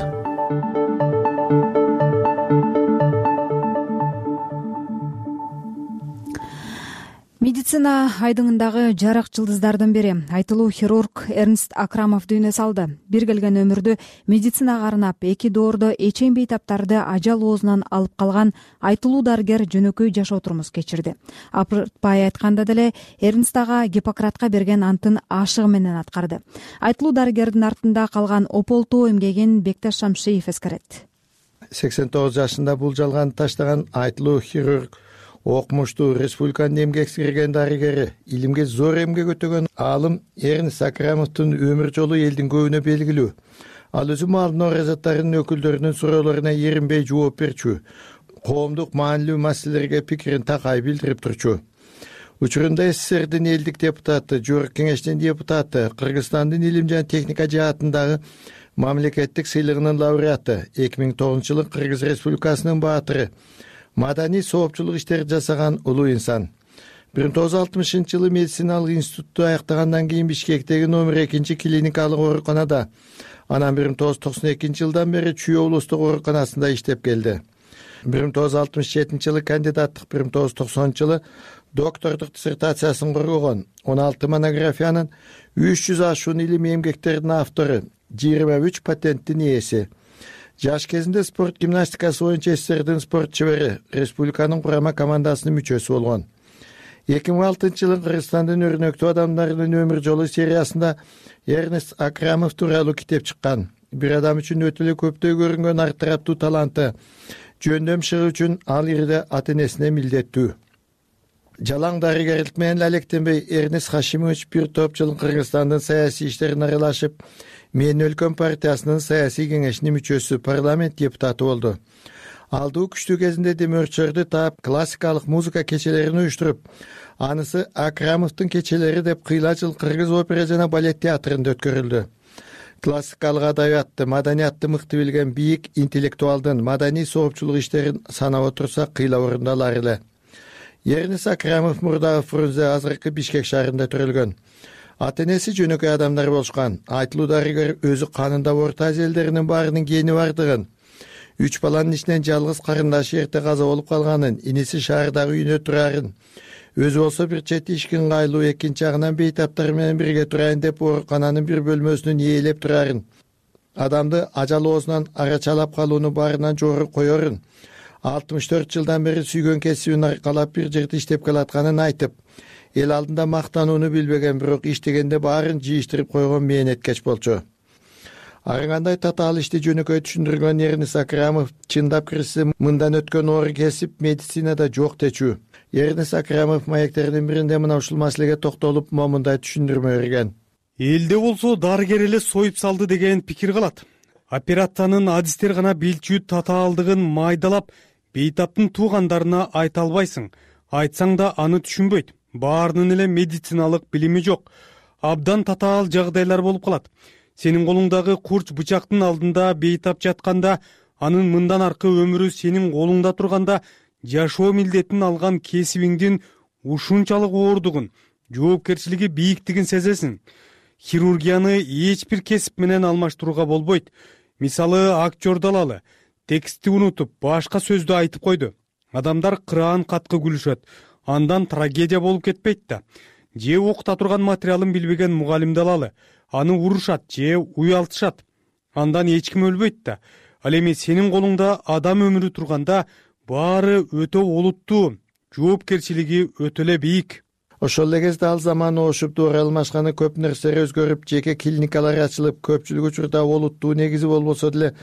S2: Медицина айдыңындагы жарык жылдыздардын бири айтылуу хирург Эрнст Акрамов дүйнө салды. Бир келген өмүрдү медицинага арнап, эки доордо эчен бейтаптарды ажал оозунан алып калган айтылуу дарыгер жөнөкөй жашоо турмуз кечирди. Апыртпай айтканда деле Эрнст ага Гиппократка берген антын ашыгы менен аткарды. Айтылуу дарыгердин артында калган ополтоо эмгегин Бекташ Шамшиев эскерет.
S4: сексен тогуз жашында бул жалганды таштаган айтылуу хирург окумуштуу, республиканын эмгек сиңирген дарыгери, илимге зор эмгек өтөгөн аалым Эрнст Акрамовдун өмүр жолу элдин көбүнө белгилүү. Ал өзү маалдын оразаттарынын өкүлдөрүнүн суроолоруна эринбей жооп берчү, коомдук маанилүү маселелерге пикирин такай билдирип турчу. Учурунда СССРдин элдик депутаты, Жогорку Кеңештин депутаты, Кыргызстандын илим жана техника жаатындагы мамлекеттик сыйлыгынын лауреаты, эки миң тогузунчу жылы Кыргыз Республикасынын баатыры, маданий соопчулук иштерди жасаган улуу инсан. бир миң тогуз жүз алтымышынчы жылы медициналык институтту аяктагандан кийин Бишкектеги номер экинчи клиникалык ооруканада, анан бир миң тогуз жүз токсон экинчи жылдан бери Чүй облустук ооруканасында иштеп келди. бир миң тогуз жүз алтымыш жетинчи жылы кандидаттык, бир миң тогуз жүз токсонунчу жылы доктордук диссертациясын коргогон, он алты монографиянын үч жүз ашуун илимий эмгектердин автору, жыйырма үч патенттин ээси. Жаш кезинде спорт гимнастикасы боюнча СССРдин спорт чебери, республиканын курама командасынын мүчөсү болгон. эки миң алтынчы жылы Кыргызстандын өрнөктүү адамдарынын өмүр жолу сериясында Эрнст Акрамов тууралуу китеп чыккан. Бир адам үчүн өтө эле көптөй көрүнгөн ар тараптуу таланты, жөндөм шыгы үчүн ал ирде ата энесине милдеттүү. Жалаң дарыгерлик менен алектенбей Эрнст Хашимович бир топ жыл Кыргызстандын саясий иштерине аралашып, Мен өлкөм партиясынын саясий кеңешинин мүчөсү, парламент депутаты болду. Алдуу күчтүү кезинде демөөрчөлөрдү таап, классикалык музыка кечелерин уюштуруп, анысы Акрамовдун кечелери деп кыйла жыл Кыргыз опера жана балет театрында өткөрүлдү. Классикалык адабиятты, маданиятты мыкты билген бийик интеллектуалдын маданий соопчулук иштерин санап отурсак кыйла орундалар эле. Эрнст Акрамов мурдагы Фрунзе, азыркы Бишкек шаарында төрөлгөн. Ата энеси жөнөкөй адамдар болушкан. Айтылуу дарыгер өзү канында Орто Азия элдеринин баарынын гени бардыгын, үч баланын ичинен жалгыз карындашы эрте каза болуп калганын, иниси шаардагы үйүнө турарын, өзү болсо бир чети ишке ыңгайлуу, экинчи жагынан бейтаптар менен бирге турайын деп оорукананын бир бөлмөсүнөн ээлеп турарын, адамды ажал оозунан арачалап калууну баарынан жогору коерун, алтымыш төрт жылдан бери сүйгөн кесибин аркалап бир жерде иштеп келатканын айтып, эл алдында мактанууну билбеген, бирок иштегенде баарын жыйыштырып койгон мээнеткеч болчу. Ар кандай татаал ишти жөнөкөй түшүндүргөн Эрнст Акрамов чындап кирсе мындан өткөн оор кесип медицинада жок дечү. Эрнст Акрамов маектердин биринде мына ушул маселеге токтолуп, момундай түшүндүрмө берген.
S21: Элде болсо дарыгер эле союп салды деген пикир калат. операциянын адистер гана билчү татаалдыгын майдалап бейтаптын туугандарына айта албайсың. Айтсаң да аны түшүнбөйт. Баарынын эле медициналык билими жок. Абдан татаал жагдайлар болуп калат. Сенин колуңдагы курч бычактын алдында бейтап жатканда, анын мындан аркы өмүрү сенин колуңда турганда, жашоо милдетин алган кесибиңдин ушунчалык оордугун, жоопкерчилиги бийиктигин сезесиң. Хирургияны эч бир кесип менен алмаштырууга болбойт. Мисалы, актер алалы, текстти унутуп, башка сөздү айтып койду. Адамдар кыраан каткы күлүшөт. Андан трагедия болуп кетпейт да. Же окута турган материалын билбеген мугалимди алалы. Аны урушат же уялтышат. Андан эч ким өлбөйт да. Ал эми сенин колуңда адам өмүрү турганда баары өтө олуттуу, жоопкерчилиги өтө эле бийик.
S4: Ошол эле кезде ал заман ошуп дуура алмашканы көп нерселер өзгөрүп, жеке клиникалар ачылып, көпчүлүк учурда олуттуу негизи болбосо деле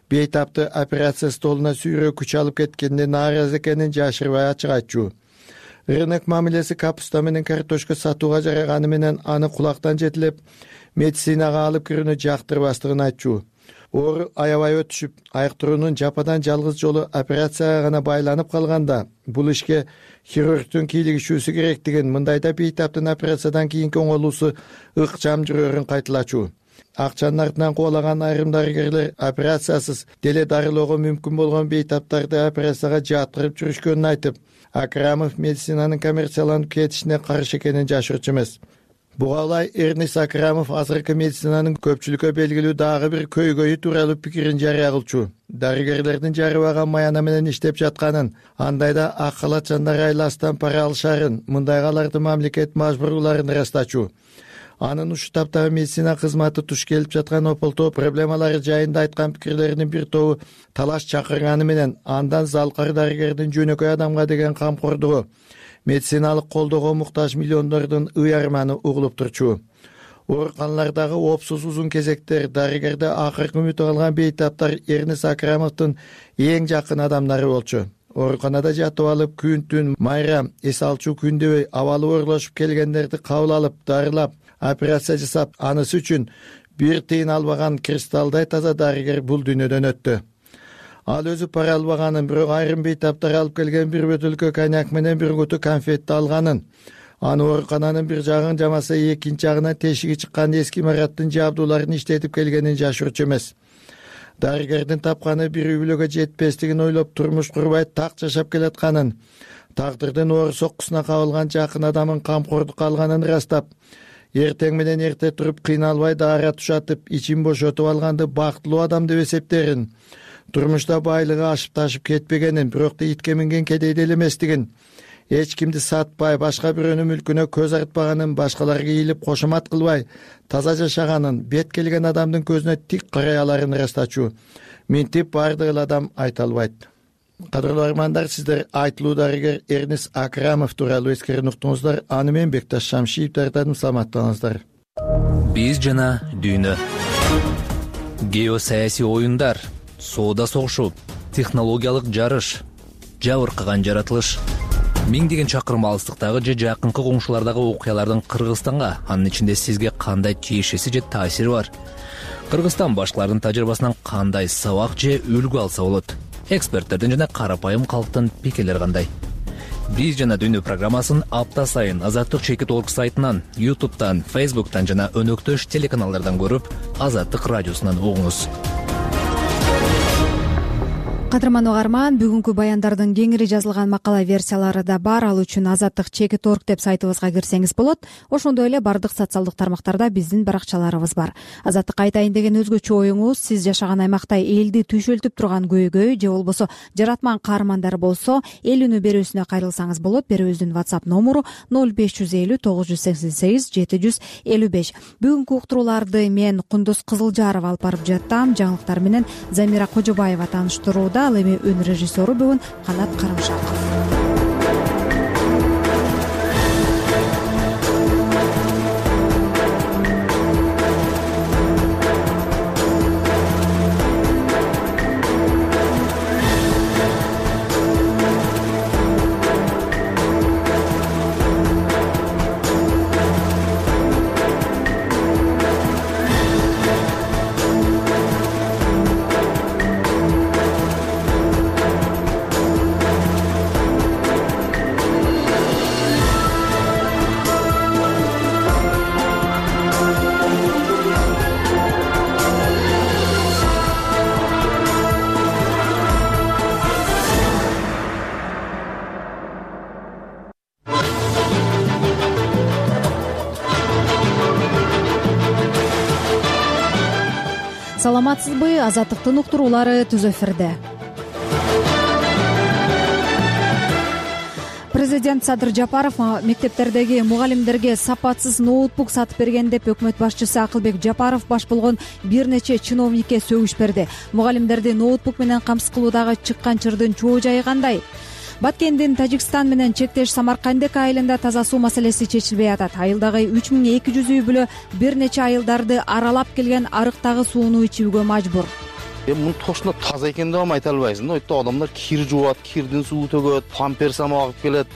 S4: бейтапты операция столуна сүйрөө күч алып кеткенде нааразы экенин жашырбай ачык айтчу. Рынок мамилеси капуста менен картошка сатууга жараганы менен аны кулактан жетилеп, медицинага алып кирүүнү жактырбастыгын айтчу. Оору аябай өтүшүп, айыктыруунун жападан жалгыз жолу операцияга гана байланып калганда, бул ишке хирургтун кийлигишүүсү керектигин, мындайда бейтаптын операциядан кийинки оңолуусу ыкчам жүрөөрүн кайтылачу. Акчанын артынан кубалаган айрым дарыгерлер операциясыз деле дарылоого мүмкүн болгон бейтаптарды операцияга жаткырып жүрүшкөнүн айтып, Акрамов медицинанын коммерцияланып кетишине каршы экенин жашырчу эмес. Буга ылай Эрнис Акрамов азыркы медицинанын көпчүлүккө белгилүү дагы бир көйгөйү тууралуу пикирин жарыя кылчу. Дарыгерлердин жарыбаган маяна менен иштеп жатканын, андайда ак халатчандар айластан пара алышарын, мындайга аларды мамлекет мажбурлаарын ырастачу. Анын ушул таптагы медицина кызматы туш келип жаткан ополтоо проблемалары жайында айткан пикирлеринин бир тобу талаш чакырганы менен андан залкар дарыгердин жөнөкөй адамга деген камкордугу, медициналык колдоого муктаж миллиондордун ый арманы угулуп турчу. Ооруканалардагы опсуз узун кезектер, дарыгерде акыркы үмүт алган бейтаптар Эрнис Акрамовдун эң жакын адамдары болчу. Ооруканада жатып алып, күн-түн майрам, эс алчу күндөбөй абалы оорлошуп келгендерди кабыл алып, дарылап, операция жасап, анысы үчүн бир тыйын албаган кристалдай таза дарыгер бул дүйнөдөн өттү. Ал өзү пара албаганын, бирок айрым бейтаптар алып келген бир бөтөлкө коньяк менен бир куту конфетти алганын, аны оорукананын бир жагын жамаса экинчи жагына тешиги чыккан эски имараттын жабдууларын иштетип келгенин жашырчу эмес. Дарыгердин тапканы бир үй бүлөгө жетпестигин ойлоп турмуш курбай так жашап келатканын, тагдырдын оор соккусуна кабылган жакын адамын камкордукка алганын ырастап, эртең менен эрте туруп кыйналбай даара тушатып, ичин бошотуп алганды бактылуу адам деп эсептерин, турмушта байлыгы ашып ташып кетпегенин, бирок да итке минген кедейде эле эместигин, эч кимди сатпай, башка бирөөнүн мүлкүнө көз артпаганын, башкаларга ийилип кошомат кылбай, таза жашаганын, бет келген адамдын көзүнө тик карай аларын ырастачу. Минтип бардык эле адам айта албайт. Кадырлуу армандар, сиздер айтылуу дарыгер Эрнис Акрамов тууралуу эскерин уктуңуздар. Аны мен Бекташ Шамшиев даярдадым. Саламаттаңыздар.
S1: Биз жана дүйнө. Геосаясий оюндар, соода согушу, технологиялык жарыш, жабыркаган жаратылыш. Миңдеген чакырым алыстыктагы же жакынкы коңшулардагы окуялардын Кыргызстанга, анын ичинде сизге кандай тиешеси же таасири бар? Кыргызстан башкалардын тажрыйбасынан кандай сабак же үлгү алса болот? Эксперттердин жана карапайым калктын пикирлери кандай? Биз жана дүйнө программасын апта сайын Азаттык чекит точка орг сайтынан, ютубтан, фейсбуктан жана өнөктөш телеканалдардан көрүп, Азаттык радиосунан угуңуз.
S2: Кадырман угарман, бүгүнкү баяндардын кеңири жазылган макала версиялары да бар. Ал үчүн азаттык чекит точка орг деп сайтыбызга кирсеңиз болот. Ошондой эле бардык социалдык тармактарда биздин баракчаларыбыз бар. Азаттык айтайын деген өзгөчө оюңуз, сиз жашаган аймакта элди түйшөлтүп турган көйгөй же болбосо жаратман каармандар болсо, эл үнү берүүсүнө кайрылсаңыз болот. Берүүбүздүн WhatsApp номуру ноль беш жүз элүү тогуз жүз сексен сегиз жети жүз элүү беш. Бүгүнкү уктурууларды мен Кундуз Кызылжаров алып барып жаттам. Жаңылыктар менен Замира Кожобаева тааныштырууда. Ал эми өн режиссеру бүгүн Канат Карымшаков. саламатсызбы, Азаттыктын уктуруулары түз эфирде. Президент Садыр Жапаров мектептердеги мугалимдерге сапатсыз ноутбук сатып берген деп өкмөт башчысы Акылбек Жапаров баш болгон бир нече чиновникке сөгүш берди. Мугалимдерди ноутбук менен камсыз кылуудагы чыккан чырдын чоо жайы кандай? Баткендин Тажикстан менен чектеш Самаркандек айылында таза суу маселеси чечилбей атат. Айылдагы үч миң эки жүз үй бүлө бир нече айылдарды аралап келген арыктагы сууну ичүүгө мажбур.
S6: Эми мунун точно таза экен деп айта албайсың. Өйтө адамдар кир жуат, кирдин суу төгөт, памперс агып келет.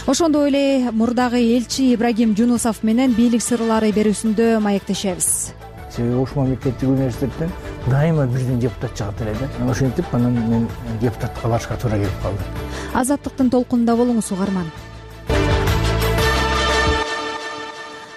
S2: Ошондой эле мурдагы элчи Ибрагим Жунусов менен бийлик сырлары берүүсүндө маектешебиз.
S22: Себеби ушул мамлекеттик университеттен дайыма бирден депутат чыгат эле да. Ошентип анан мен депутатка барышка туура келип калды.
S2: Азаттыктын толкунунда болуңуз угарман.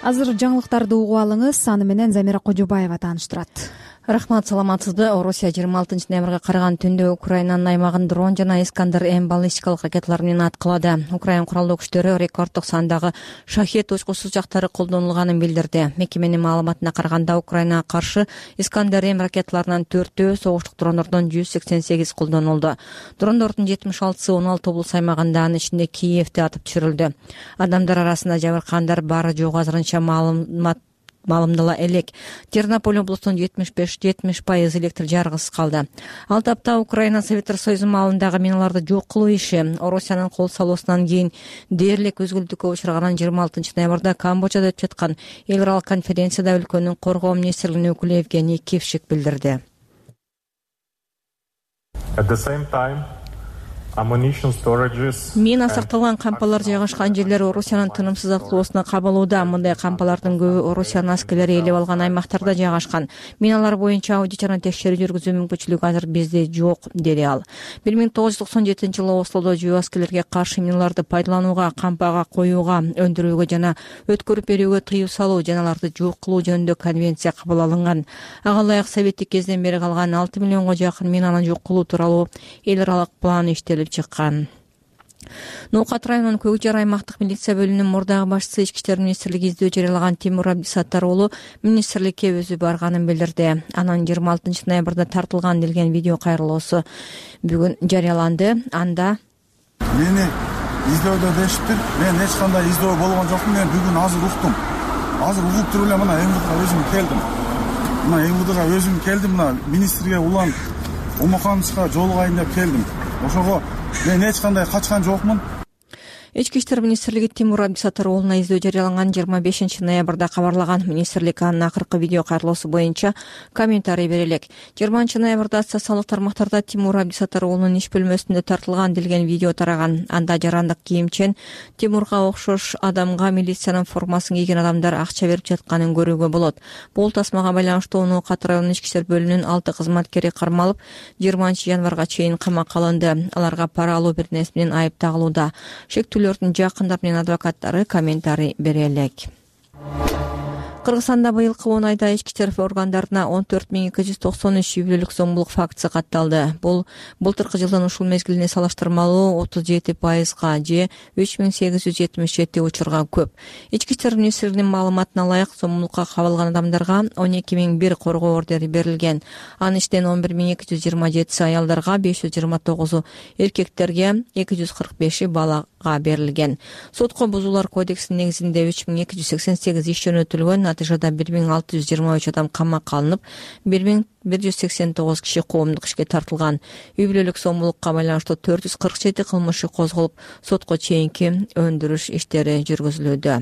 S2: Азыр жаңылыктарды угуп алыңыз, аны менен Замира Кожобаева тааныштырат.
S5: Рахмат, саламатсызбы. Орусия жыйырма алтынчы ноябрга караган түндө Украинанын аймагын дрон жана Искандер М баллистикалык ракеталар менен аткылады. Украин куралдуу күчтөрү рекорддук сандагы шахет учкуч сузактары колдонулганын билдирди. Мекеменин маалыматына караганда Украинага каршы Искандер М ракеталарынын төртөө, согуштук дрондордон жүз сексен сегиз колдонулду. Дрондордун жетимиш алтысы он алты облус аймагында, анын ичинде Киевде атып түшүрүлдү. Адамдар арасында жабыркагандар бары жок азырынча маалымат маалымдала элек. Тернополь облусунун жетимиш беш жетимиш пайыз электр жарыгысыз калды. Ал тапта Украина Советтер Союзу маалындагы миналарды жок кылуу иши Орусиянын кол салуусунан кийин дээрлик өзгөлтүүгө учураган жыйырма алтынчы ноябрда Камбоджада өтүп жаткан эл аралык конференцияда өлкөнүн коргоо министрлигинин өкүлү Евгений Кившик билдирди. Мина сакталган кампалар жайгашкан жерлер Орусиянын тынымсыз аткылоосуна кабылууда. Мындай кампалардын көбү Орусиянын аскерлери ээлеп алган аймактарда жайгашкан. Миналар боюнча аудит жана текшерүү жүргүзүү мүмкүнчүлүгү азыр бизде жок, деди ал. бир миң тогуз жүз токсон жетинчи жылы Ослодо жөө аскерлерге каршы миналарды пайдаланууга, кампага коюуга, өндүрүүгө жана өткөрүп берүүгө тыюу салуу жана аларды жок кылуу жөнүндө конвенция кабыл алынган. Ага ылайык советтик кезден бери калган алты миллионго жакын минаны жок кылуу тууралуу эл аралык план иштелип чыккан. Ноокат районунун Көк Жар аймактык милиция бөлүмүнүн мурдагы башчысы Ички иштер министрлиги издөө жарыялаган Тимур Абдисаттар уулу министрликке өзү барганын билдирди. Анын жыйырма алтынчы ноябрда тартылган делген видео кайрылуусу бүгүн жарыяланды. Анда
S7: мени издөөдө дешиптир. Мен эч кандай издөө болгон жокмун. Мен бүгүн азыр уктум. Азыр угуп туруп эле мына МВДга өзүм келдим. Мына МВДга өзүм келдим. Мына министрге улан Омокановичка жолугайын деп келдим. Ошого мен эч кандай качкан жокмун.
S5: Ички иштер министрлиги Тимур Абдисаттар уулуна издөө жарыяланган жыйырма бешинчи ноябрда кабарлаган. Министрлик анын акыркы видео кайрылуусу боюнча комментарий бере элек. жыйырманчы ноябрда социалдык тармактарда Тимур Абдисаттар уулунун иш бөлмөсүндө тартылган делген видео тараган. Анда жарандык кийимчен Тимурга окшош адамга милициянын формасын кийген адамдар акча берип жатканын көрүүгө болот. Бул тасмага байланыштуу Ноокат районунун ички иштер бөлүмүнүн алты кызматкери кармалып, жыйырманчы январга чейин камакка алынды. Аларга пара алуу бир нерсе менен айып тагылууда. Шектүүлөрдүн жакындары менен адвокаттары комментарий бере элек. Кыргызстанда быйылкы он айда ички иштер органдарына он төрт миң эки жүз токсон үч үй бүлөлүк зомбулук фактысы катталды. Бул былтыркы жылдын ушул мезгилине салыштырмалуу отуз жети пайызга же үч миң сегиз жүз жетимиш жети учурга көп. Ички иштер министрлигинин маалыматына ылайык зомбулукка кабылган адамдарга он эки миң бир коргоо ордери берилген. Анын ичинен он бир миң эки жүз жыйырма жетиси аялдарга, беш жүз жыйырма тогузу эркектерге, эки жүз кырк беши балага берилген. Сотко бузуулар кодексинин негизинде үч миң эки жүз сексен сегиз иш жөнөтүлгөн. Натыйжада бир миң алты жүз жыйырма үч адам камакка алынып, бир миң бир жүз сексен тогуз киши коомдук ишке тартылган. Үй бүлөлүк зомбулукка байланыштуу төрт жүз кырк жети кылмыш козголуп, сотко чейинки өндүрүш иштери жүргүзүлүүдө.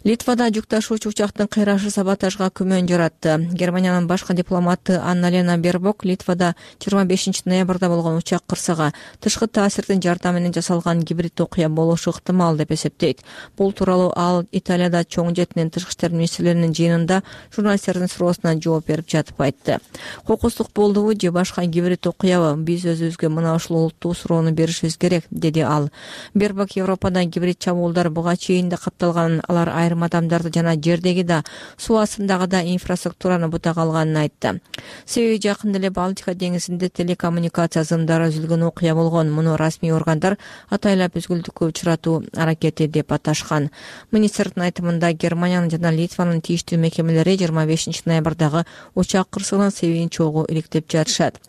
S5: Литвада жүк ташуучу учактын кыйрашы саботажга күмөн жаратты. Германиянын башкы дипломаты Анна-Лена Бербок Литвада жыйырма бешинчи ноябрда болгон учак кырсыгы тышкы таасирдин жардамы менен жасалган гибрид окуя болушу ыктымал деп эсептейт. Бул тууралуу ал Италияда чоң жетинен тышкы иштер министрлеринин жыйынында журналисттердин суроосуна жооп берип жатып айтты. Кокустук болдубу же башка гибрид окуябы? Биз өзүбүзгө мына ушул олуттуу суроону беришибиз керек, деди ал. Бербок Европада гибрид чабуулдар буга чейин да катталганын, алар айрым адамдарды жана жердеги да суу астындагы да инфраструктураны бута калганын айтты. Себеби жакында эле Балтика деңизинде телекоммуникация зымдары үзүлгөн окуя болгон. Муну расмий органдар атайлап үзгүлтүккө учуратуу аракети деп аташкан. Министрдин айтымында Германиянын жана Литванын тийиштүү мекемелери жыйырма бешинчи ноябрдагы учак кырсыгынын себебин чогуу иликтеп жатышат.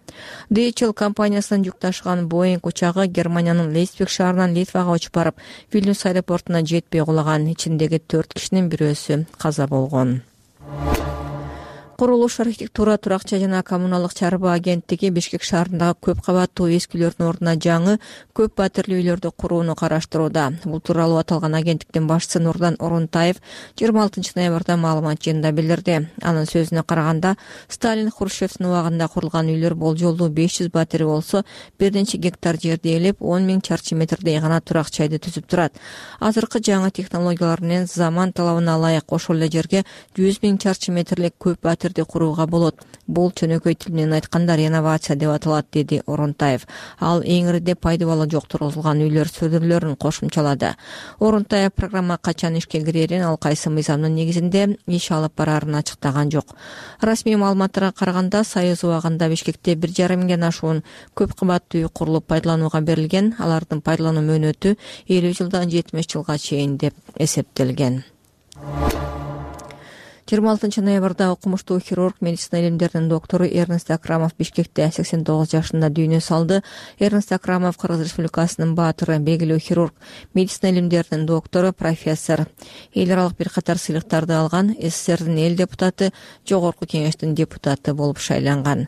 S5: ди эйч эл компаниясынын жүк ташыган Боинг учагы Германиянын Лейпциг шаарынан Литвага учуп барып, Вильнюс аэропортуна жетпей кулаган. Ичиндеги төрт кишинин бирөөсү каза болгон. Курулуш, архитектура, турак-жай жана коммуналдык чарба агенттиги Бишкек шаарындагы көп кабаттуу эски үйлөрдүн ордуна жаңы көп батирлүү үйлөрдү курууну караштырууда. Бул тууралуу аталган агенттиктин башчысы Нурдан Орунтаев жыйырма алтынчы ноябрда маалымат жыйынында билдирди. Анын сөзүнө караганда, Сталин, Хрущевдин убагында курулган үйлөр болжолдуу беш жүз батири болсо, бир нече гектар жерди ээлеп, он миң чарчы метрдей гана турак-жайды түзүп турат. Азыркы жаңы технологиялар менен заман талабына ылайык ошол эле жерге жүз миң чарчы метрлик көп батир курууга болот. Бул чөнөкөй тил менен айтканда реновация деп аталат, деди Орунтаев. Ал эң ириде пайдабалы жок тургузулган үйлөр сөзүрлөрүн кошумчалады. Орунтаев программа качан ишке кирерин, ал кайсы мыйзамдын негизинде иш алып барарын ачыктаган жок. Расмий маалыматтарга караганда, Союз убагында Бишкекте бир жарым миңден ашуун көп кабаттуу үй курулуп пайдаланууга берилген. Алардын пайдалануу мөөнөтү элүү жылдан жетимиш жылга чейин деп эсептелген. жыйырма алтынчы ноябрда окумуштуу хирург, медицина илимдеринин доктору Эрнест Акрамов Бишкекте сексен тогуз жашында дүйнө салды. Эрнест Акрамов Кыргыз Республикасынын баатыры, белгилүү хирург, медицина илимдеринин доктору, профессор. Эл аралык бир катар сыйлыктарды алган, СССРдин эл депутаты, жогорку кеңештин депутаты болуп шайланган.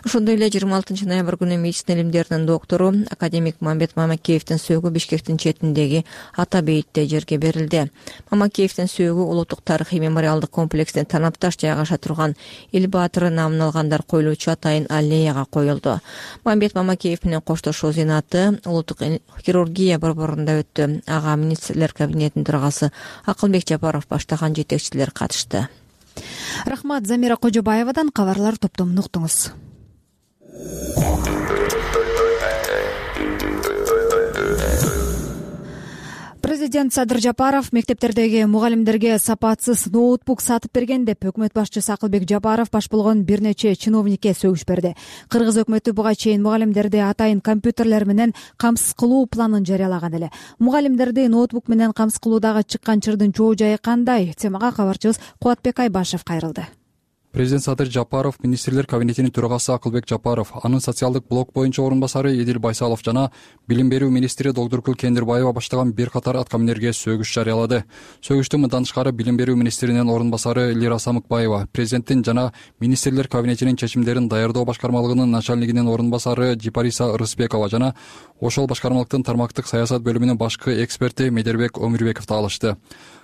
S5: Ошондой эле жыйырма алтынчы ноябрь күнү медицина илимдеринин доктору, академик Мамбет Мамакеевдин сөөгү Бишкектин четиндеги Ата бейитте жерге берилди. Мамакеевдин сөөгү улуттук тарыхый мемориалдык комплекс Танапташ жайгаша турган эл баатыры намын алгандар коюлуучу атайын аллеяга коюлду. Мамбет Мамакеев менен коштошуу зыйнаты улуттук хирургия борборунда өттү. Ага министрлер кабинетинин төрагасы Акылбек Жапаров баштаган жетекчилер катышты.
S2: Рахмат, Замира Кожобаевадан кабарлар топтомун уктуңуз. Президент Садыр Жапаров мектептердеги мугалимдерге сапатсыз ноутбук сатып берген деп өкмөт башчысы Акылбек Жапаров баш болгон бир нече чиновникке сөгүш берди. Кыргыз өкмөтү буга чейин мугалимдерди атайын компьютерлер менен камсыз кылуу планын жарыялаган эле. Мугалимдерди ноутбук менен камсыз кылуудагы чыккан чырдын чоо жайы кандай? Темага кабарчыбыз Кубатбек Айбашев кайрылды.
S9: Президент Садыр Жапаров, министрлер кабинетинин төрагасы Акылбек Жапаров, анын социалдык блок боюнча орун басары Эдил Байсалов жана билим берүү министри Догдуркул Кендирбаева баштаган бир катар аткаминерге сөгүш жарыялады. Сөгүштү мындан тышкары билим берүү министринин орун басары Лира Самыкбаева, президенттин жана министрлер кабинетинин чечимдерин даярдоо башкармалыгынын начальнигинин орун басары Жипариса Рысбекова жана ошол башкармалыктын тармактык саясат бөлүмүнүн башкы эксперти Медербек Өмүрбеков да алышты.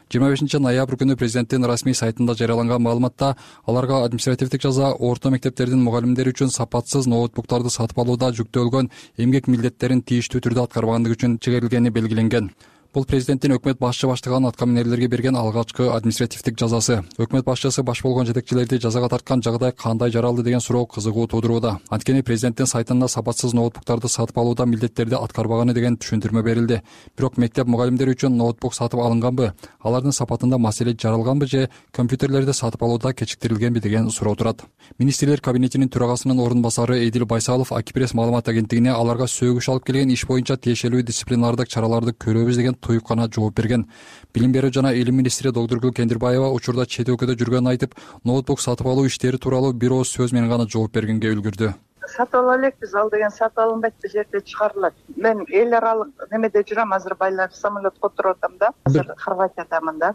S9: жыйырма бешинчи ноябрь күнү президенттин расмий сайтында жарыяланган маалыматта аларга административдик жаза орто мектептердин мугалимдери үчүн сапатсыз ноутбуктарды сатып алууда жүктөлгөн эмгек милдеттерин тийиштүү түрдө аткарбагандыгы үчүн чегерилгени белгиленген. Бул президенттин өкмөт башчы баштаган аткаминерлерге берген алгачкы административдик жазасы. Өкмөт башчысы баш болгон жетекчилерди жазага тарткан жагдай кандай жаралды деген суроо кызыгуу туудурууда. Анткени президенттин сайтында сапатсыз ноутбуктарды сатып алууда милдеттерди аткарбаганы деген түшүндүрмө берилди. Бирок мектеп мугалимдери үчүн ноутбук сатып алынганбы, алардын сапатында маселе жаралганбы же компьютерлерди сатып алууда кечиктирилгенби деген суроо турат. Министрлер кабинетинин төрагасынын орун басары Эдил Байсалов Акипресс маалымат агенттигине аларга сөгүш алып келген иш боюнча тиешелүү дисциплинардык чараларды көрөбүз деген туюп гана жооп берген. Билим берүү жана илим министри Догдуркул Кендирбаева учурда чет өлкөдө жүргөнүн айтып, ноутбук сатып алуу иштери тууралуу бир ооз сөз менен гана жооп бергенге үлгүрдү.
S10: Сатып ала элекпиз, ал деген сатып алынбайт, бул жерде чыгарылат. Мен эл аралык немеде жүрөм, азыр байлар самолетко отуруп атам да, азыр Хорватиядамын да.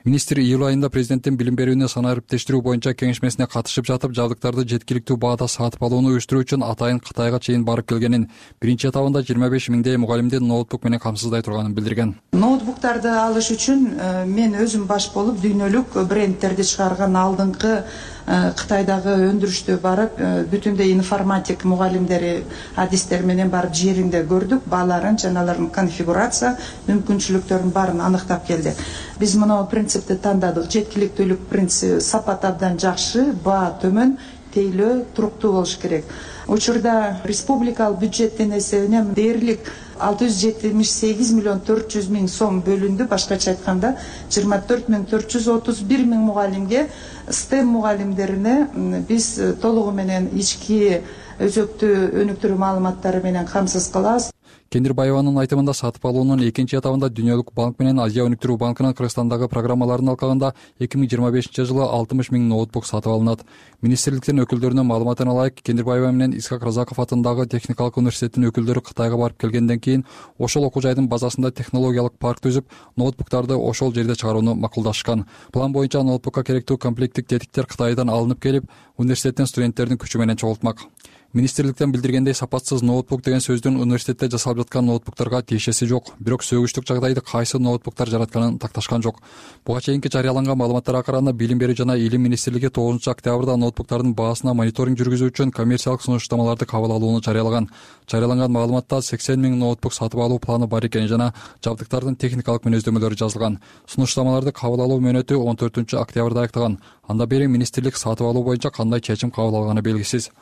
S9: Министр июль айында президенттин билим берүүнү санаа ириптештирүү боюнча кеңешмесине катышып жатып, жабдыктарды жеткиликтүү баада сатып алууну уюштуруу үчүн атайын Кытайга чейин барып келгенин, биринчи этабында жыйырма беш миңдей мугалимдин ноутбук менен камсыздай турганын билдирген.
S10: Ноутбуктарды алыш үчүн мен өзүм баш болуп дүйнөлүк брендтерди чыгарган алдыңкы Кытайдагы өндүрүштө барып, бүтүндөй информатик мугалимдери адистер менен барып жеринде көрдүк, бааларын жана алардын конфигурация мүмкүнчүлүктөрүн баарын аныктап келдик. Биз мына принципти тандадык. Жеткиликтүүлүк принципи, сапат абдан жакшы, баа төмөн, тейлөө туруктуу болуш керек. Учурда республикалык бюджеттен эсебинен дээрлик алты жүз жетимиш сегиз миллион төрт жүз миң сом бөлүндү. Башкача айтканда жыйырма төрт миң төрт жүз отуз бир миң мугалимге, стем мугалимдерине биз толугу менен ички өзөктүү өнүктүрүү маалыматтары менен камсыз кылабыз.
S9: Кендирбаеванын айтымында сатып алуунун экинчи этабында Дүйнөлүк банк менен Азия өнүктүрүү банкынын Кыргызстандагы программаларын алкаганда эки миң жыйырма бешинчи жылы алтымыш миң ноутбук сатып алынат. Министрликтин өкүлдөрүнүн маалыматына ылайык, Кендирбаева менен Исхак Разаков атындагы техникалык университеттин өкүлдөрү Кытайга барып келгенден кийин ошол окуу жайдын базасында технологиялык парк түзүп, ноутбуктарды ошол жерде чыгарууну макулдашкан. План боюнча ноутбукка керектүү комплекттик тетиктер Кытайдан алынып келип, университеттин студенттердин күчү менен чогултмак. Министрликтен билдиргендей, сапатсыз ноутбук деген сөздүн университетте жасалып жаткан ноутбуктарга тиешеси жок. Бирок сөгүчтүк жагдайды кайсы ноутбуктар жаратканын такташкан жок. Буга чейинки жарыяланган маалыматтарга караганда, Билим берүү жана илим министрлиги тогузунчу октябрда ноутбуктардын баасына мониторинг жүргүзүү үчүн коммерциялык сунуштамаларды кабыл алууну жарыялаган. Жарыяланган маалыматта сексен миң ноутбук сатып алуу планы бар экени жана жабдыктардын техникалык мүнөздөмөлөрү жазылган. Сунуштамаларды кабыл алуу мөөнөтү он төртүнчү октябрда аяктаган. Анда бери министрлик сатып алуу боюнча кандай чечим кабыл алганы белгисиз.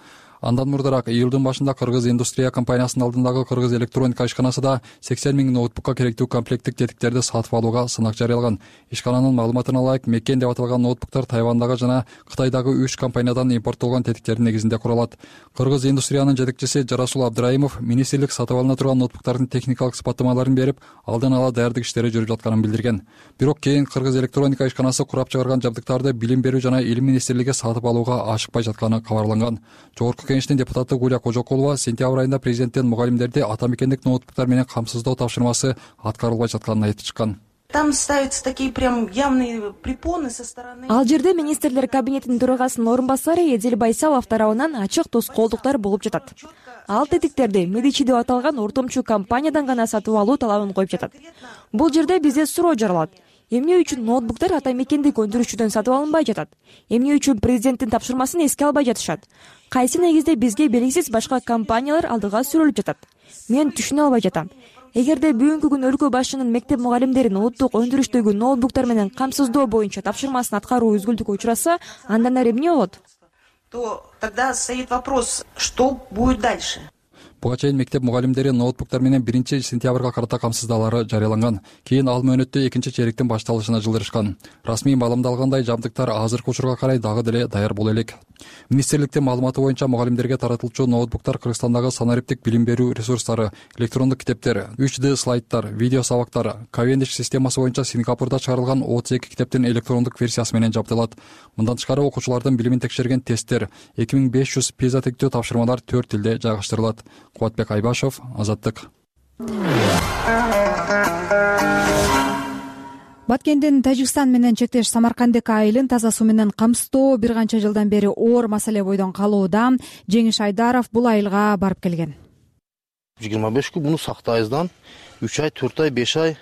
S9: Андан мурдараак июлдун башында Кыргыз индустрия компаниясынын алдындагы Кыргыз электроника ишканасы да сексен миң ноутбукка керектүү комплекттик тетиктерди сатып алууга сынак жарыялаган. Ишкананын маалыматына ылайык, Меккен деп аталган ноутбуктар Тайвандагы жана Кытайдагы үч компаниядан импорттолгон тетиктердин негизинде куралат. Кыргыз индустриянын жетекчиси Жарасул Абдыраимов министрлик сатып алына турган ноутбуктардын техникалык сыпаттамаларын берип, алдын ала даярдык иштери жүрүп жатканын билдирген. Бирок кийин Кыргыз электроника ишканасы курап чыгарган жабдыктарды Билим берүү жана илим министрлиги сатып алууга ашыкпай жатканы кабарланган. Жогорку Кеңештин депутаты Гулия Кожокулова сентябрь айында президенттен мугалимдерди ата мекендик ноутбуктар менен камсыздоо тапшырмасы аткарылбай жатканын айтып чыккан.
S11: Там ставятся такие прям явные препоны со стороны.
S18: Ал жерде министрлер кабинетинин төрагасынын орун басары Эдил Байсалов тарабынан ачык тоскоолдуктар болуп жатат. Ал тетиктерди Медичи деп аталган ортомчу компаниядан гана сатып алуу талабын коюп жатат. Бул жерде бизде суроо жаралат. Эмне үчүн ноутбуктар ата мекендик өндүрүшчүдөн сатып алынбай жатат? Эмне үчүн президенттин тапшырмасын эске албай жатышат? Кайсы негизде бизге белгисиз башка компаниялар алдыга сүрүлүп жатат? Мен түшүнө албай жатам. Эгерде бүгүнкү күнү өлкө башчынын мектеп мугалимдерин улуттук өндүрүштөгү ноутбуктар менен камсыздоо боюнча тапшырмасын аткаруу үзгүлтүккө учураса, андан ары эмне болот?
S11: То тогда стоит вопрос, что будет дальше?
S9: Буга чейин мектеп мугалимдери ноутбуктар менен биринчи сентябрга карата камсыздоолору жарыяланган. Кийин ал мөөнөттө экинчи чейректин башталышына жылдырышкан. Расмий маалымдалгандай, жабдыктар азыркы учурга карай дагы деле даяр боло элек. Министрликтин маалыматы боюнча мугалимдерге таратылчу ноутбуктар Кыргызстандагы санариптик билим берүү ресурстары, электрондук китептер, үч дэ слайдтар, видео сабактар, Cavendish системасы боюнча Сингапурда чыгарылган отуз эки китептин электрондук версиясы менен жабдылат. Мындан тышкары окуучулардын билимин текшерген тесттер, эки миң беш жүз пиза тектүү тапшырмалар төрт тилде жайгаштырылат. Кубатбек Айбашев, Азаттык.
S2: Баткендин Тажикстан менен чектеш Самаркандык айылын таза суу менен камсыздоо бир канча жылдан бери оор маселе бойдон калууда. Жеңиш Айдаров бул айылга барып келген.
S6: жыйырма беш күн муну сактайбыздан үч ай, төрт ай, беш ай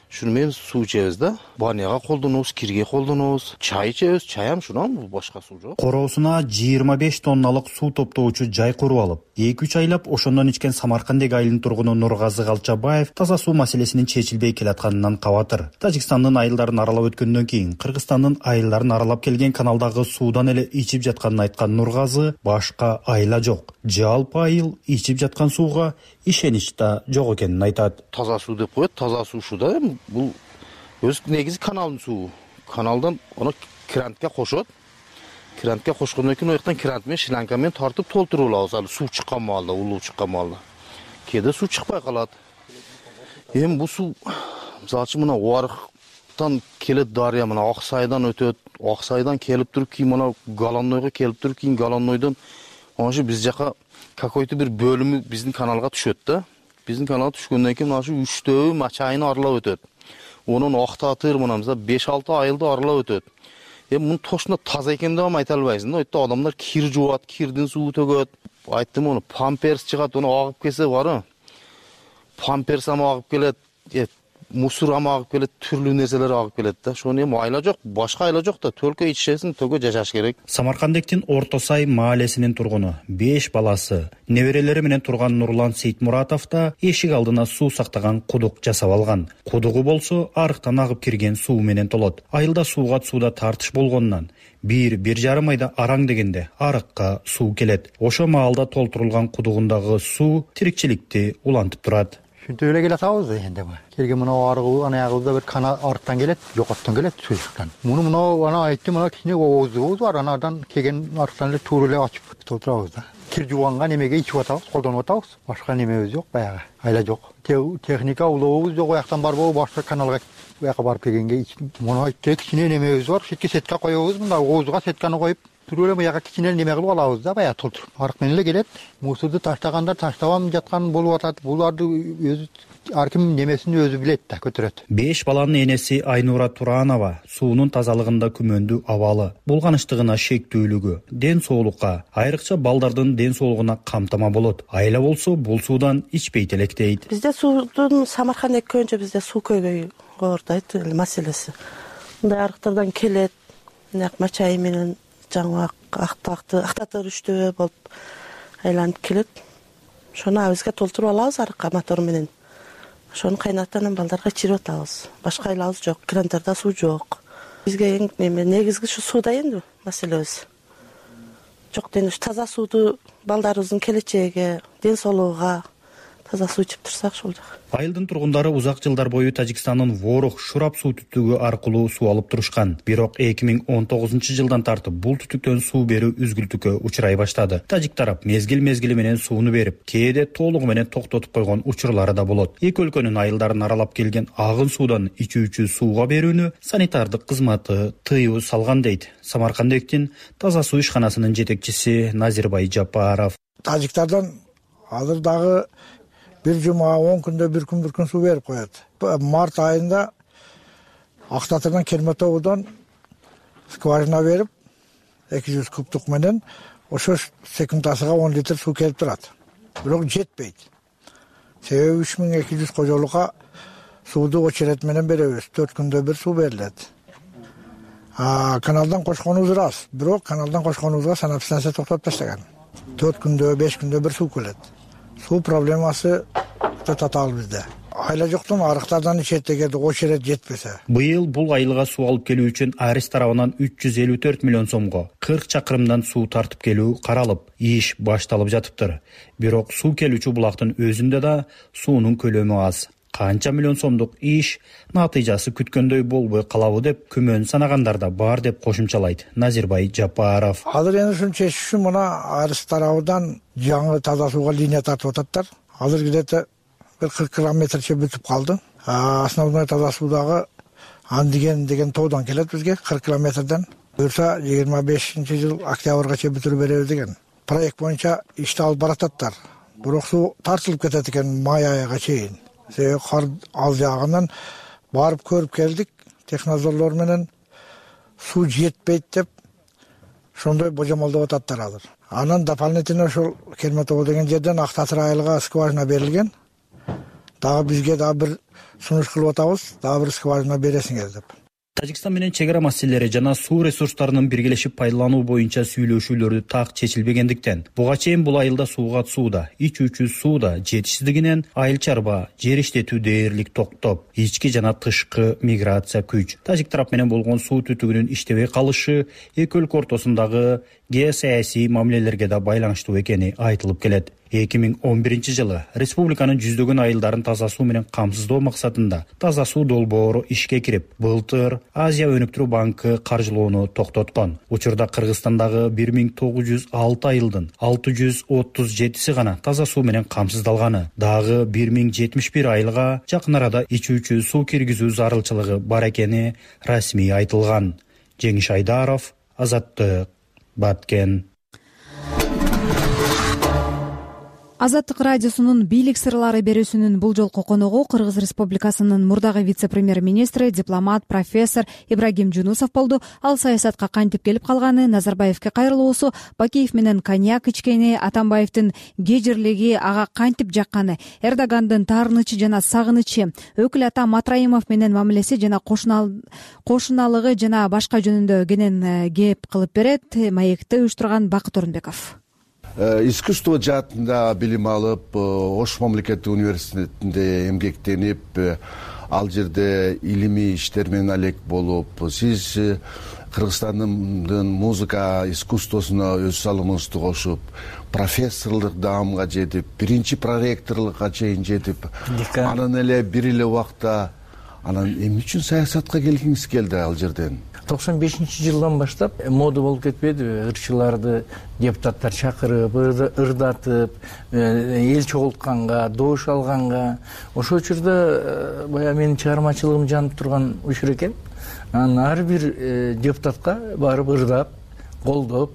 S6: шуну менен суу ичебиз да. Баняга колдонобуз, кирге колдонобуз, чай ичебиз, чайам шунан башка суу жок.
S12: Короосуна жыйырма беш тонналык суу топтоочу жай куруп алып, эки үч айлап ошондон ичкен Самаркандык айылынын тургуну Нургазы Галчабаев таза суу маселесинин чечилбей келатканынан кабатыр. Тажикстандын айылдарын аралап өткөндөн кийин Кыргызстандын айылдарын аралап келген каналдагы суудан эле ичип жатканын айткан Нургазы, башка айла жок. Жалпы айыл ичип жаткан сууга ишенич да жок экенин айтат.
S6: Таза суу деп коет, таза суу шу да. Бул өз негизи каналдын суу. Каналдан аны крантка кошот. Крантка кошкондон кийин ояктан крант менен шланга менен тартып толтуруп алабыз. Ал суу чыккан маалда, улуу чыккан маалда. Кээде суу чыкпай калат. Эми бул суу мисалы үчүн мына Уарыктан келет дарыя, мына Аксайдан өтөт. Аксайдан келип туруп кийин мына Галанойго келип туруп кийин Галанойдон ошо биз жака какой-то бир бөлүмү биздин каналга түшөт да. Биздин каналга түшкөндөн кийин ошо үчтөө Мачайны аралап өтөт. Онун Актатыр мына мисалы беш алты айылды аралап өтөт. Эми мунун точно таза экенин да айта албайсың да. Өйтө адамдар кир жуат, кирдин суу төгөт. Айттым аны памперс чыгат, аны агып келсе бары. Памперс ам агып келет. мусор ама агып келет, түрлүү нерселер агып келет да. Ошону эми айла жок, башка айла жок да, төлкө ичишесиң, төлкө жашаш керек.
S12: Самаркандектин Орто Сай маалесинин тургуну, беш баласы, неберелери менен турган Нурлан Сейтмуратов да эшик алдына суу сактаган кудук жасап алган. Кудугу болсо арыктан агып кирген суу менен толот. Айылда сууга сууда тартыш болгонунан бир бир жарым айда араң дегенде арыкка суу келет. Ошо маалда толтурулган кудугундагы суу тирикчиликти улантып турат.
S8: Ушинтип эле келатабыз энди. Келген мына арыгы, анаягыбызда бир кана арыктан келет, жокоттон келет суюктан. Муну мына ана айттым, мына кичине оозубуз бар, анадан келген арыктан эле туура эле ачып толтурабыз да. Кир жуганга немеге ичип атабыз, колдонуп атабыз. Башка немебиз жок, баягы. Айла жок. Техника улообуз жок, аяктан барбы, башка каналга буяка барып келгенге муну айттык, кичине немебиз бар. Шетке сетке коебуз, мында оозуга сетканы коюп, туруп эле буяка кичине неме кылып алабыз да, баягы толтуруп. Арык менен эле келет. Мусорду таштагандар таштабам жаткан болуп атат. Буларды өзү ар ким немесин өзү билет да, көтөрөт.
S12: Беш баланын энеси Айнура Туранова суунун тазалыгында күмөндүү абалы, булганыштыгына шектүүлүгү ден соолукка, айрыкча балдардын ден соолугуна камтама болот. Айла болсо бул суудан ичпейт элек дейт.
S13: Бизде суудун Самарканда көбүнчө бизде суу көйгөйү коордойт маселеси. Мындай арыктардан келет, накма чай менен жаңы актакты актатырыштөө болуп айланып келет. Ошону бизге толтуруп алабыз арыкка мотор менен. Ошону кайнатып анан балдарга ичирип атабыз. Башка айлабыз жок, крандарда суу жок. Бизге эң негизги ушу сууда энди маселебиз. Жок ден ушу таза сууду балдарыбыздын келечегиге, ден соолугуга таза суу ичип турсак ошол жок.
S12: Айылдын тургундары узак жылдар бою Тажикстандын Ворух Шурап суу түтүгү аркылуу суу алып турушкан. Бирок эки миң он тогузунчу жылдан тартып бул түтүктөн суу берүү үзгүлтүккө учурай баштады. Тажик тарап мезгил-мезгили менен сууну берип, кээде толугу менен токтотуп койгон учурлары да болот. Эки өлкөнүн айылдарын аралап келген агын суудан ичүүчү сууга берүүнү санитардык кызматы тыюу салган дейт Самаркандектин таза суу ишканасынын жетекчиси Назирбай Жапаров.
S8: Тажиктардан азыр дагы бир жума он күндө бир күн бир күн суу берип коет. Март айында Актатырдан Керметовдон скважина берип эки жүз кубтук менен ошо секундасыга он литр суу келип турат. Бирок жетпейт. Себеби үч миң эки жүз кожолукка сууду очерет менен беребиз. төрт күндө бир суу берилет. А каналдан кошконубуз рас, бирок каналдан кошконубузга санэпстанция токтоп таштаган. төрт күндө беш күндө бир суу келет. Суу проблемасы татаал бизде. Айла жоктон арыктардан ичет дегенде очерет жетпесе.
S12: Быйыл бул айылга суу алып келүү үчүн Арис тарабынан үч жүз элүү төрт миллион сомго кырк чакырымдан суу тартып келүү каралып, иш башталып жатыптыр. Бирок суу келүүчү булактын өзүндө да суунун көлөмү аз. Канча миллион сомдук иш натыйжасы күткөндөй болбой калабы деп күмөн санагандар да бар деп кошумчалайт Назирбай Жапаров.
S8: Азыр эми ушуну чечиш үчүн мына Арис тарабынан жаңы таза сууга линия тартып ататтар. Азыр где-то бир кырк километрче бүтүп калды. Основной таза суудагы Андиген деген тоодон келет бизге кырк километрден. Буюрса жыйырма бешинчи жыл октябрга бүтүрүп беребиз деген. Проект боюнча ишти алып барататтар. Бирок суу тартылып кетет экен май айга чейин. Себеби кар аз жаагынан барып көрүп келдик, технадзорлор менен суу жетпейт деп ошондой божомолдоп ататтар азыр. Анан дополнительно ошол Керметово деген жерден Актатыр айылга скважина берилген. Дагы бизге дагы бир сунуш кылып атабыз, дагы бир скважина бересиңер деп.
S12: Тажикстан менен чек ара маселелери жана суу ресурстарынын биргелешип пайдалануу боюнча сүйлөшүүлөрдү так чечилбегендиктен буга чейин бул айылда сууга сууда, ичүүчү сууда жетишсиздигинен айыл чарба, жер иштетүү дээрлик токтоп, ички жана тышкы миграция күч. Тажик тарап менен болгон суу түтүгүнүн иштебей калышы эки өлкө ортосундагы геосаясий мамилелерге да байланыштуу экени айтылып келет. эки миң он биринчи жылы республиканын жүздөгөн айылдарын таза суу менен камсыздоо максатында таза суу долбоору ишке кирип, былтыр Азия өнүктүрүү банкы каржылоону токтоткон. Учурда Кыргызстандагы бир миң тогуз жүз алты айылдын алты жүз отуз жетиси гана таза суу менен камсыздалганы. Дагы бир миң жетимиш бир айылга жакын арада ичүүчү суу киргизүү зарылчылыгы бар экени расмий айтылган. Жеңиш Айдаров, Азаттык, Баткен.
S2: Азаттык радиосунун бийлик сырлары берүүсүнүн бул жолку коногу Кыргыз Республикасынын мурдагы вице-премьер-министри, дипломат, профессор Ибрагим Жунусов болду. Ал саясатка кантип келип калганы, Назарбаевке кайрылуусу, Бакиев менен коньяк ичкени, Атамбаевдин кежирлиги ага кантип жакканы, Эрдогандын таарынычы жана сагынычы, өкүл ата Матраимов менен мамилеси жана кошуналыгы жана башка жөнүндө кенен кеп кылып берет. Маекти уюштурган Бакыт Орунбеков.
S3: Искусство жаатында билим алып, Ош мамлекеттик университетинде эмгектенип, ал жерде илимий иштер менен алек болуп, сиз Кыргызстандын музыка искусствосуна өз салымыңызды кошуп, профессорлук даамга жетип, биринчи проректорлукка чейин жетип, анан эле бир эле убакта анан эмне үчүн саясатка келгиңиз келди ал жерден?
S22: токсон бешинчи жылдан баштап мода болуп кетпедиби? Ырчыларды депутаттар чакырып, ырдатып, эл чогултканга, добуш алганга. Ошол учурда баягы менин чыгармачылыгым жанып турган учур экен. Анан ар бир депутатка барып ырдап, колдоп,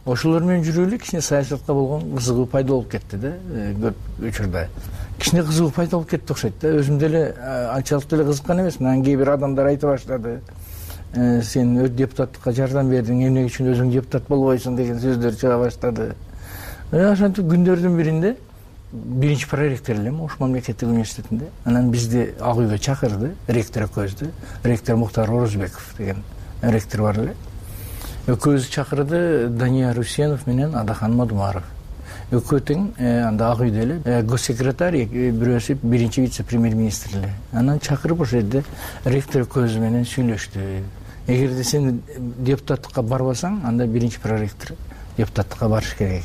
S22: ошолор менен жүрүп эле кичине саясатка болгон кызыгуу пайда болуп кетти да, көп учурда. Кичине кызыгуу пайда болуп кетти окшойт да. Өзүм деле анчалык деле кызыккан эмесмин. Анан кээ бир адамдар айта баштады: сен өз депутаттыкка жардам бердиң, эмне үчүн өзүң депутат болбойсуң деген сөздөр чыга баштады. Ошентип күндөрдүн биринде биринчи проректор элем Ош мамлекеттик университетинде. Анан бизди ак үйгө чакырды, ректор экөөбүздү. Ректор Муктар Орозбеков деген ректор бар эле. Экөөбүздү чакырды Дания Русенов менен Адахан Мадумаров. Экөө тең анда ак үйдө эле госсекретарь, бирөөсү биринчи вице-премьер-министр эле. Анан чакырып ошол жерде ректор экөөбүз менен сүйлөштү. Эгерде сен депутаттыкка барбасаң, анда биринчи проректор депутаттыкка барыш керек.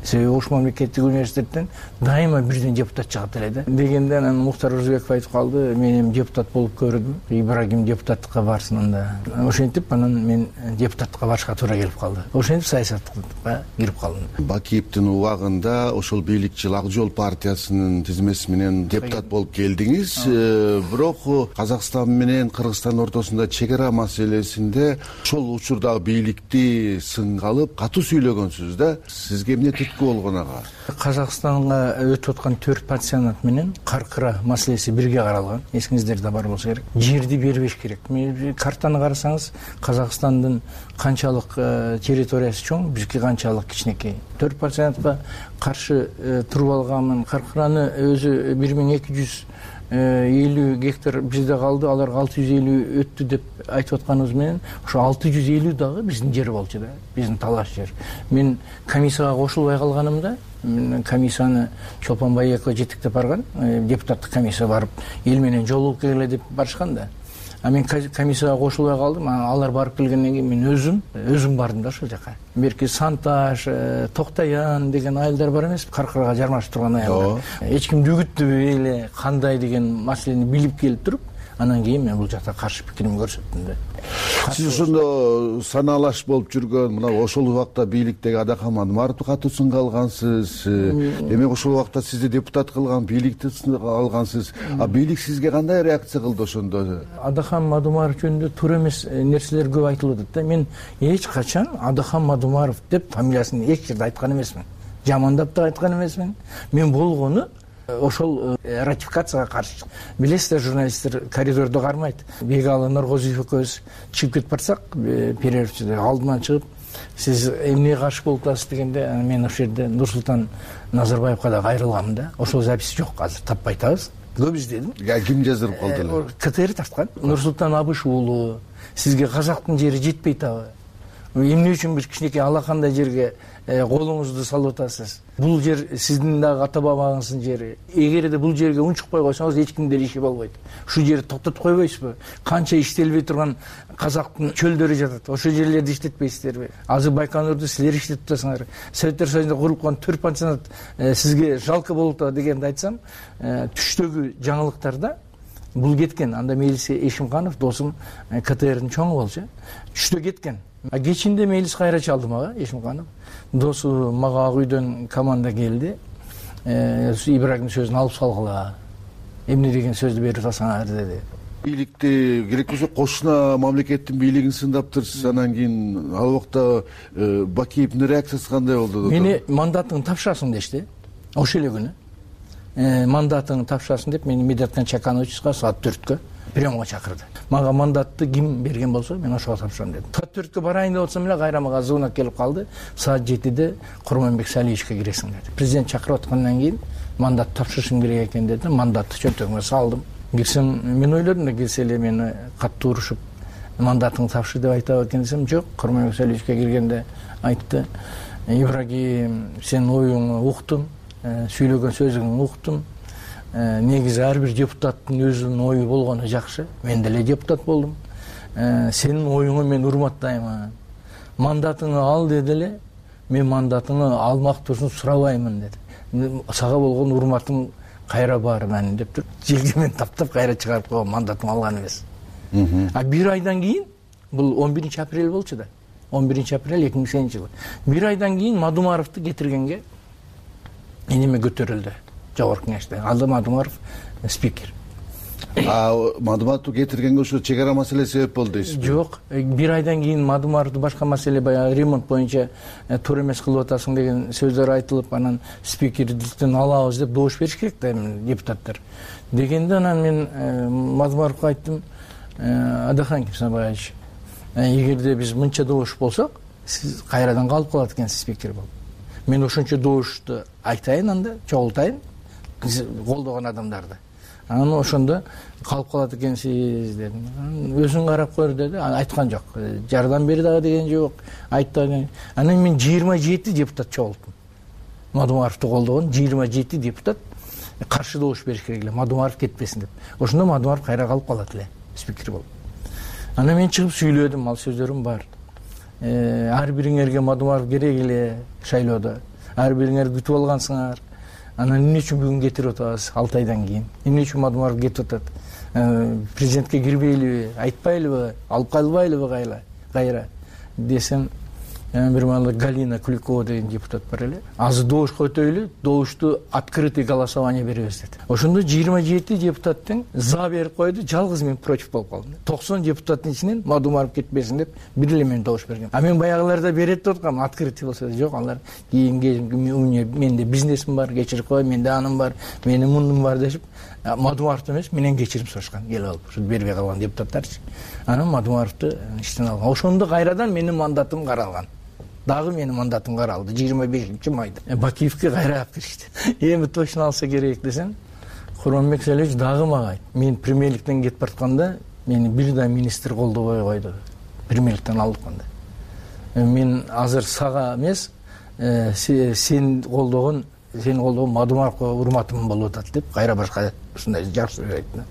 S22: Себеби Ош мамлекеттик университеттен дайыма бирден депутат чыгат эле да. Дегенде анан Муктар Орозбеков айтып калды: мен эми депутат болуп көрдүм, Ибрагим депутаттыкка барсын анда. Ошентип анан мен депутаттыкка барышка туура келип калды. Ошентип саясатка кирип калдым.
S3: Бакиевдин убагында ошол бийликчил Ак Жол партиясынын тизмеси менен депутат болуп келдиңиз. Бирок Казакстан менен Кыргызстан ортосунда чек ара маселесинде ошол учурдагы бийликти сынга алып катуу сүйлөгөнсүз да. Сизге эмне болгон ага?
S22: Казакстанга өтүп аткан төрт пансионат менен Каркыра маселеси бирге каралган. Эсиңиздерде бар болсо керек. Жерди бербеш керек. Картаны карасаңыз, Казакстандын канчалык территориясы чоң, бизге канчалык кичинекей. Төрт пансионатка каршы туруп алганмын. Каркыраны өзү бир миң эки жүз элүү гектар бизде калды, аларга алты жүз элүү өттү деп айтып атканыбыз менен ошо алты жүз элүү дагы биздин жер болчу да, биздин талаш жер. Мен комиссияга кошулбай калганымда, комиссияны Чолпон Байекова жетектеп барган, депутаттык комиссия барып эл менен жолугуп келгиле деп барышкан да. А мен комиссияга кошулбай калдым. Алар барып келгенден кийин мен өзүм өзүм бардым да ошол жака. Берки Санташ, Токтаян деген айылдар бар эмес, Каркырага жармашып турган айылдар. Эч кимди үгүттөбөй эле кандай деген маселени билип келип туруп, анан кийин мен бул жакта каршы пикиримди көрсөттүм да.
S3: Сиз ошондо санаалаш болуп жүргөн, мына ошол убакта бийликтеги Адахан Мадумаровду катуу сынга алгансыз. Демек ошол убакта сизди депутат кылган бийликти сынга алгансыз. А бийлик сизге кандай реакция кылды ошондо?
S22: Адахан Мадумаров жөнүндө туура эмес нерселер көп айтылып атат да. Мен эч качан Адахан Мадумаров деп фамилиясын эч жерде айткан эмесмин. Жамандап да айткан эмесмин. Мен болгону ошол ратификацияга каршы. Билесиздер, журналисттер коридордо кармайт. Бегалы Норгозиев экөөбүз чыгып кетип барсак, перерывчыда алдынан чыгып, сиз эмнеге каршы болуп атасыз дегенде, мен ошол жерде Нурсултан Назарбаевга да кайрылганмын да. Ошол запись жок, азыр таппай атабыз. Көп издедим.
S3: Ким жаздырып калды эле?
S22: КТР тарткан. Нурсултан Абыш уулу, сизге казактын жери жетпей атабы? Эмне үчүн бир кичинекей алакандай жерге колуңузду салып атасыз? Бул жер сиздин дагы ата бабаңыздын жери. Эгерде бул жерге унчукпай койсоңуз, эч кимде иши болбойт. Ушул жерди токтотуп койбойсузбу? Канча иштелбей турган казактын чөлдөрү жатат. Ошол жерлерди иштетпейсиздерби? Азыр Байконурду силер иштетип атасыңар. Советтер Союзунда курулган төрт пансионат сизге жалко болуп атат дегенди айтсам, түштөгү жаңылыктарда бул кеткен. Анда Мелисе Эшимканов досум КТРдин чоңу болчу. Түштө кеткен. А кечинде Мелис кайра чалдым ага, Эшимканов. Досу мага ак үйдөн команда келди. Ибрагим сөзүн алып салгыла. Эмне деген сөздү берип атасыңар деди.
S3: Бийликти керек болсо кошуна мамлекеттин бийлигин сындаптырсыз, анан кийин ал убакта Бакиевдин реакциясы кандай болду?
S22: Мени мандатыңды тапшырасың дешти. ошол эле күнү мандатыңды тапшырасың деп мени Медетхан Чакановичка саат төрткө приемга чакырды. Мага мандатты ким берген болсо мен ошого тапшырам дедим. Саат төрткө барайын деп атсам эле кайра мага звонок келип калды. Саат жетиде Курманбек Салиевичке киресиң деди. Президент чакырып аткандан кийин мандат тапшырышың керек экен деди. Мандатты чөнтөгүмө салдым. Кирсем мен ойлодум да келсе эле мени катуу урушуп мандатыңды тапшыр деп айтабы экен десем, жок. Курманбек Салиевичке киргенде айтты: Ибрагим, сенин оюңду уктум, сүйлөгөн сөзүңдү уктум. Негизи ар бир депутаттын өзүнүн ою болгону жакшы. Мен деле депутат болдум. Сенин оюңду мен урматтайм. Мандатыңды ал деди эле. Мен мандатыңды алмактуусун сурабаймын деди. Сага болгон урматым кайра бар менин деп туруп, желгемен таптап кайра чыгарып койгон, мандатым алган эмес. А бир айдан кийин, бул он биринчи апрель болчу да. он биринчи апрель эки миң сегизинчи жылы. Бир айдан кийин Мадумаровду кетиргенге эниме көтөрүлдү. Жогорку кеңеште. Алды Мадумаров спикер.
S3: А Мадумаровду кетиргенге ошо чек ара маселеси себеп болду дейсизби?
S22: Жок. Бир айдан кийин Мадумаровду башка маселе, баягы ремонт боюнча туура эмес кылып атасың деген сөздөр айтылып, анан спикердиктен алабыз деп добуш бериш керек да депутаттар. Дегенде анан мен Мадумаровго айттым: Адахан Кимсанбаевич, эгерде биз мынча добуш болсок, сиз кайрадан калып калат экенсиз спикер болуп. Мен ошончо добушту айтайын, анда чогултайын колдогон адамдарды. Анан ошондо калып калат экенсиз дедим. Өзүң карап көр деди. Айткан жок. Жардам бер дагы деген жок. Айтты. Анан мен жыйырма жети депутат чогулттум. Мадумаровду колдогон жыйырма жети депутат каршы добуш бериш керек эле, Мадумаров кетпесин деп. Ошондо Мадумаров кайра калып калат эле спикер болуп. Анан мен чыгып сүйлөдүм, ал сөздөрүм бар. Ар бириңерге Мадумаров керек эле шайлоодо. Ар бириңер күтүп алгансыңар. Анан эмне үчүн бүгүн кетирип атабыз алты айдан кийин? Эмне үчүн Мадумаров кетип атат? Президентке кирбейлиби, айтпайлыбы, алып калбайлыбы кайла? Кайра десем, бир маалы Галина Куликова деген депутат бар эле. Азыр добушка өтөйлү, добушту открытый голосование беребиз деди. Ошондо жыйырма жети депутаттын за берип койду, жалгыз мен против болуп калдым. токсон депутаттын ичинен Мадумаров кетпесин деп бир эле мен добуш бергем. А мен баягыларда берет деп аткам, открытый болсо жок, алар кийинге менде бизнесим бар, кечирип кой, менде анын бар, менин мундум бар дешип, Мадумаровду эмес, менен кечирим сурашкан, келип алып, ушу бербей калган депутаттарчы. Анан Мадумаровду иштен алган. Ошондо кайрадан менин мандатым каралган. Дагы менин мандатым каралды жыйырма бешинчи майда. Бакиевке кайра алып киришти. Эми точно алса керек десем, Курманбек Салиевич дагы мага айтты. Мен премьерликтен кетип баратканда мени бир да министр колдобой койду. Премьерликтен алдыкканда. Мен азыр сага эмес, сен колдогон, сени колдогон Мадумаровго урматым болуп атат деп кайра башка ушундай жакшы сөз айтты.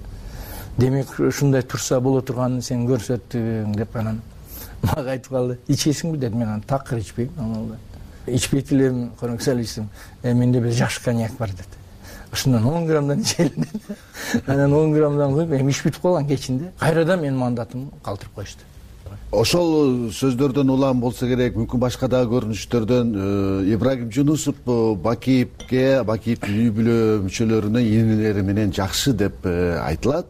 S22: Демек ушундай турса боло турганын сен көрсөттүң деп анан мага айтып калды. Ичесиңби деди. Мен аны такыр ичпейм. Анан ичпейт элем, Курманбек Салиевич. Менде бир жаш коньяк бар деди. Ошондон он граммдан ичелим деди. Анан он граммдан коюп, эми ич бүтүп калган кечинде. Кайрадан менин мандатымды калтырып коюшту.
S3: Ошол сөздөрдөн улам болсо керек, мүмкүн башка дагы көрүнүштөрдөн Ибрагим Жунусов Бакиевке, Бакиевдин үй бүлө мүчөлөрүнө инилери менен жакшы деп айтылат.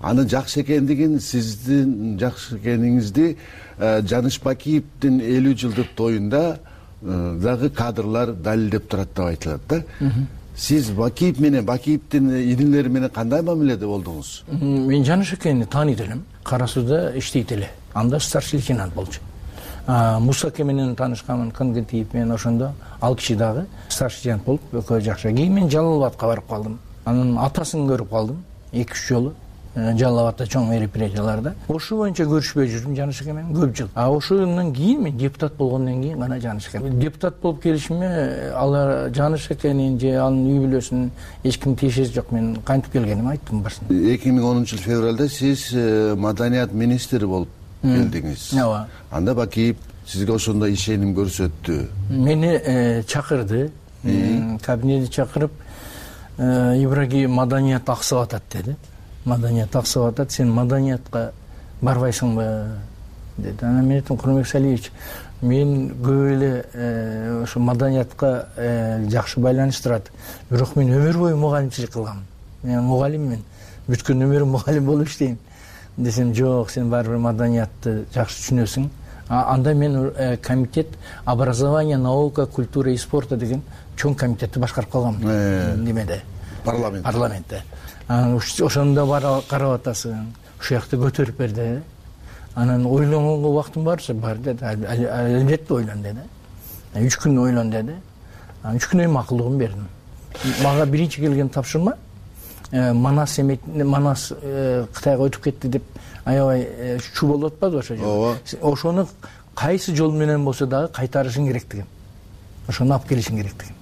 S3: Анын жакшы экендигин, сиздин жакшы экениңизди Жаныш Бакиевдин элүү жылдык тоюнда дагы кадрлар далилдеп турат деп айтылат да. Сиз Бакиев менен, Бакиевдин инилери менен кандай мамиледе болдуңуз?
S22: Мен Жаныш экенин тааныйт элем. Кара сууда иштейт эле. Анда старший лейтенант болчу. Мусаке менен таанышканмын, Кангентиев менен ошондо. Ал киши дагы старший лейтенант болуп, экөө жакшы. Кийин мен Жалал Абадка барып калдым. Анын атасын көрүп калдым эки үч жолу. Жалал Абадта чоң мероприятияларда. Ошо боюнча көрүшпөй жүрдүм Жаныш эке менен көп жыл. А ошондон кийин мен депутат болгондон кийин гана Жаныш эке. Депутат болуп келишиме алар Жаныш экенин же анын үй бүлөсүнүн эч ким тиешеси жок. Мен кантип келгенимди айттым башында.
S3: эки миң онунчу жыл февралда сиз маданият министри болуп келдиңиз.
S22: Ооба.
S3: Анда Бакиев сизге ошондо ишеним көрсөттү.
S22: Мени чакырды. Кабинетке чакырып, Ибрагим маданият аксап атат деди. Маданият аксап атат, сен маданиятка барбайсыңбы деди. Анан мен айттым, Курманбек Салиевич, мен көп эле ошо маданиятка жакшы байланыштырат. Бирок мен өмүр бою мугалимчилик кылгам. Мен мугалиммин. Бүткөн өмүрүм мугалим болуп иштейм. Десем, жок, сен баары бир маданиятты жакшы түшүнөсүң. анда мен комитет образование, наука, культура и спорта деген чоң комитетти башкарып калгам немеде,
S3: парламент
S22: парламентте. Ошондо барып карап атасың, ушул жакты көтөрүп бер деди. Анан ойлонгонго убактым барса бар деди. Албетте ойлон деди. Үч күн ойлон деди. Анан үч күнөн макулдугун бердим. Мага биринчи келген тапшырма Манас эмет, Манас Кытайга өтүп кетти деп аябай чуу болуп атпадыбы ошо жолу? Ошону кайсы жол менен болсо дагы кайтарышың керектигин, ошону алып келишиң керектигин.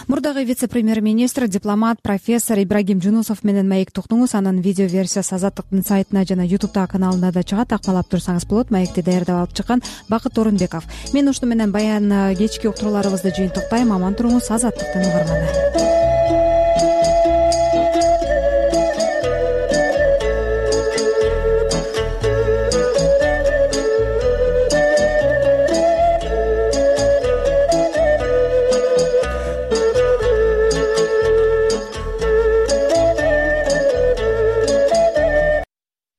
S2: Мурдагы вице-премьер-министр, дипломат, профессор Ибрагим Жунусов менен маекти уктуңуз. Анын видео версиясы Азаттыктын сайтына жана ютубтагы каналында да чыгат. Акмалап турсаңыз болот. Маекти даярдап алып чыккан Бакыт Орунбеков. Мен ушуну менен баян кечки уктурууларыбызды жыйынтыктайм. Аман туруңуз, Азаттыктын угарманы.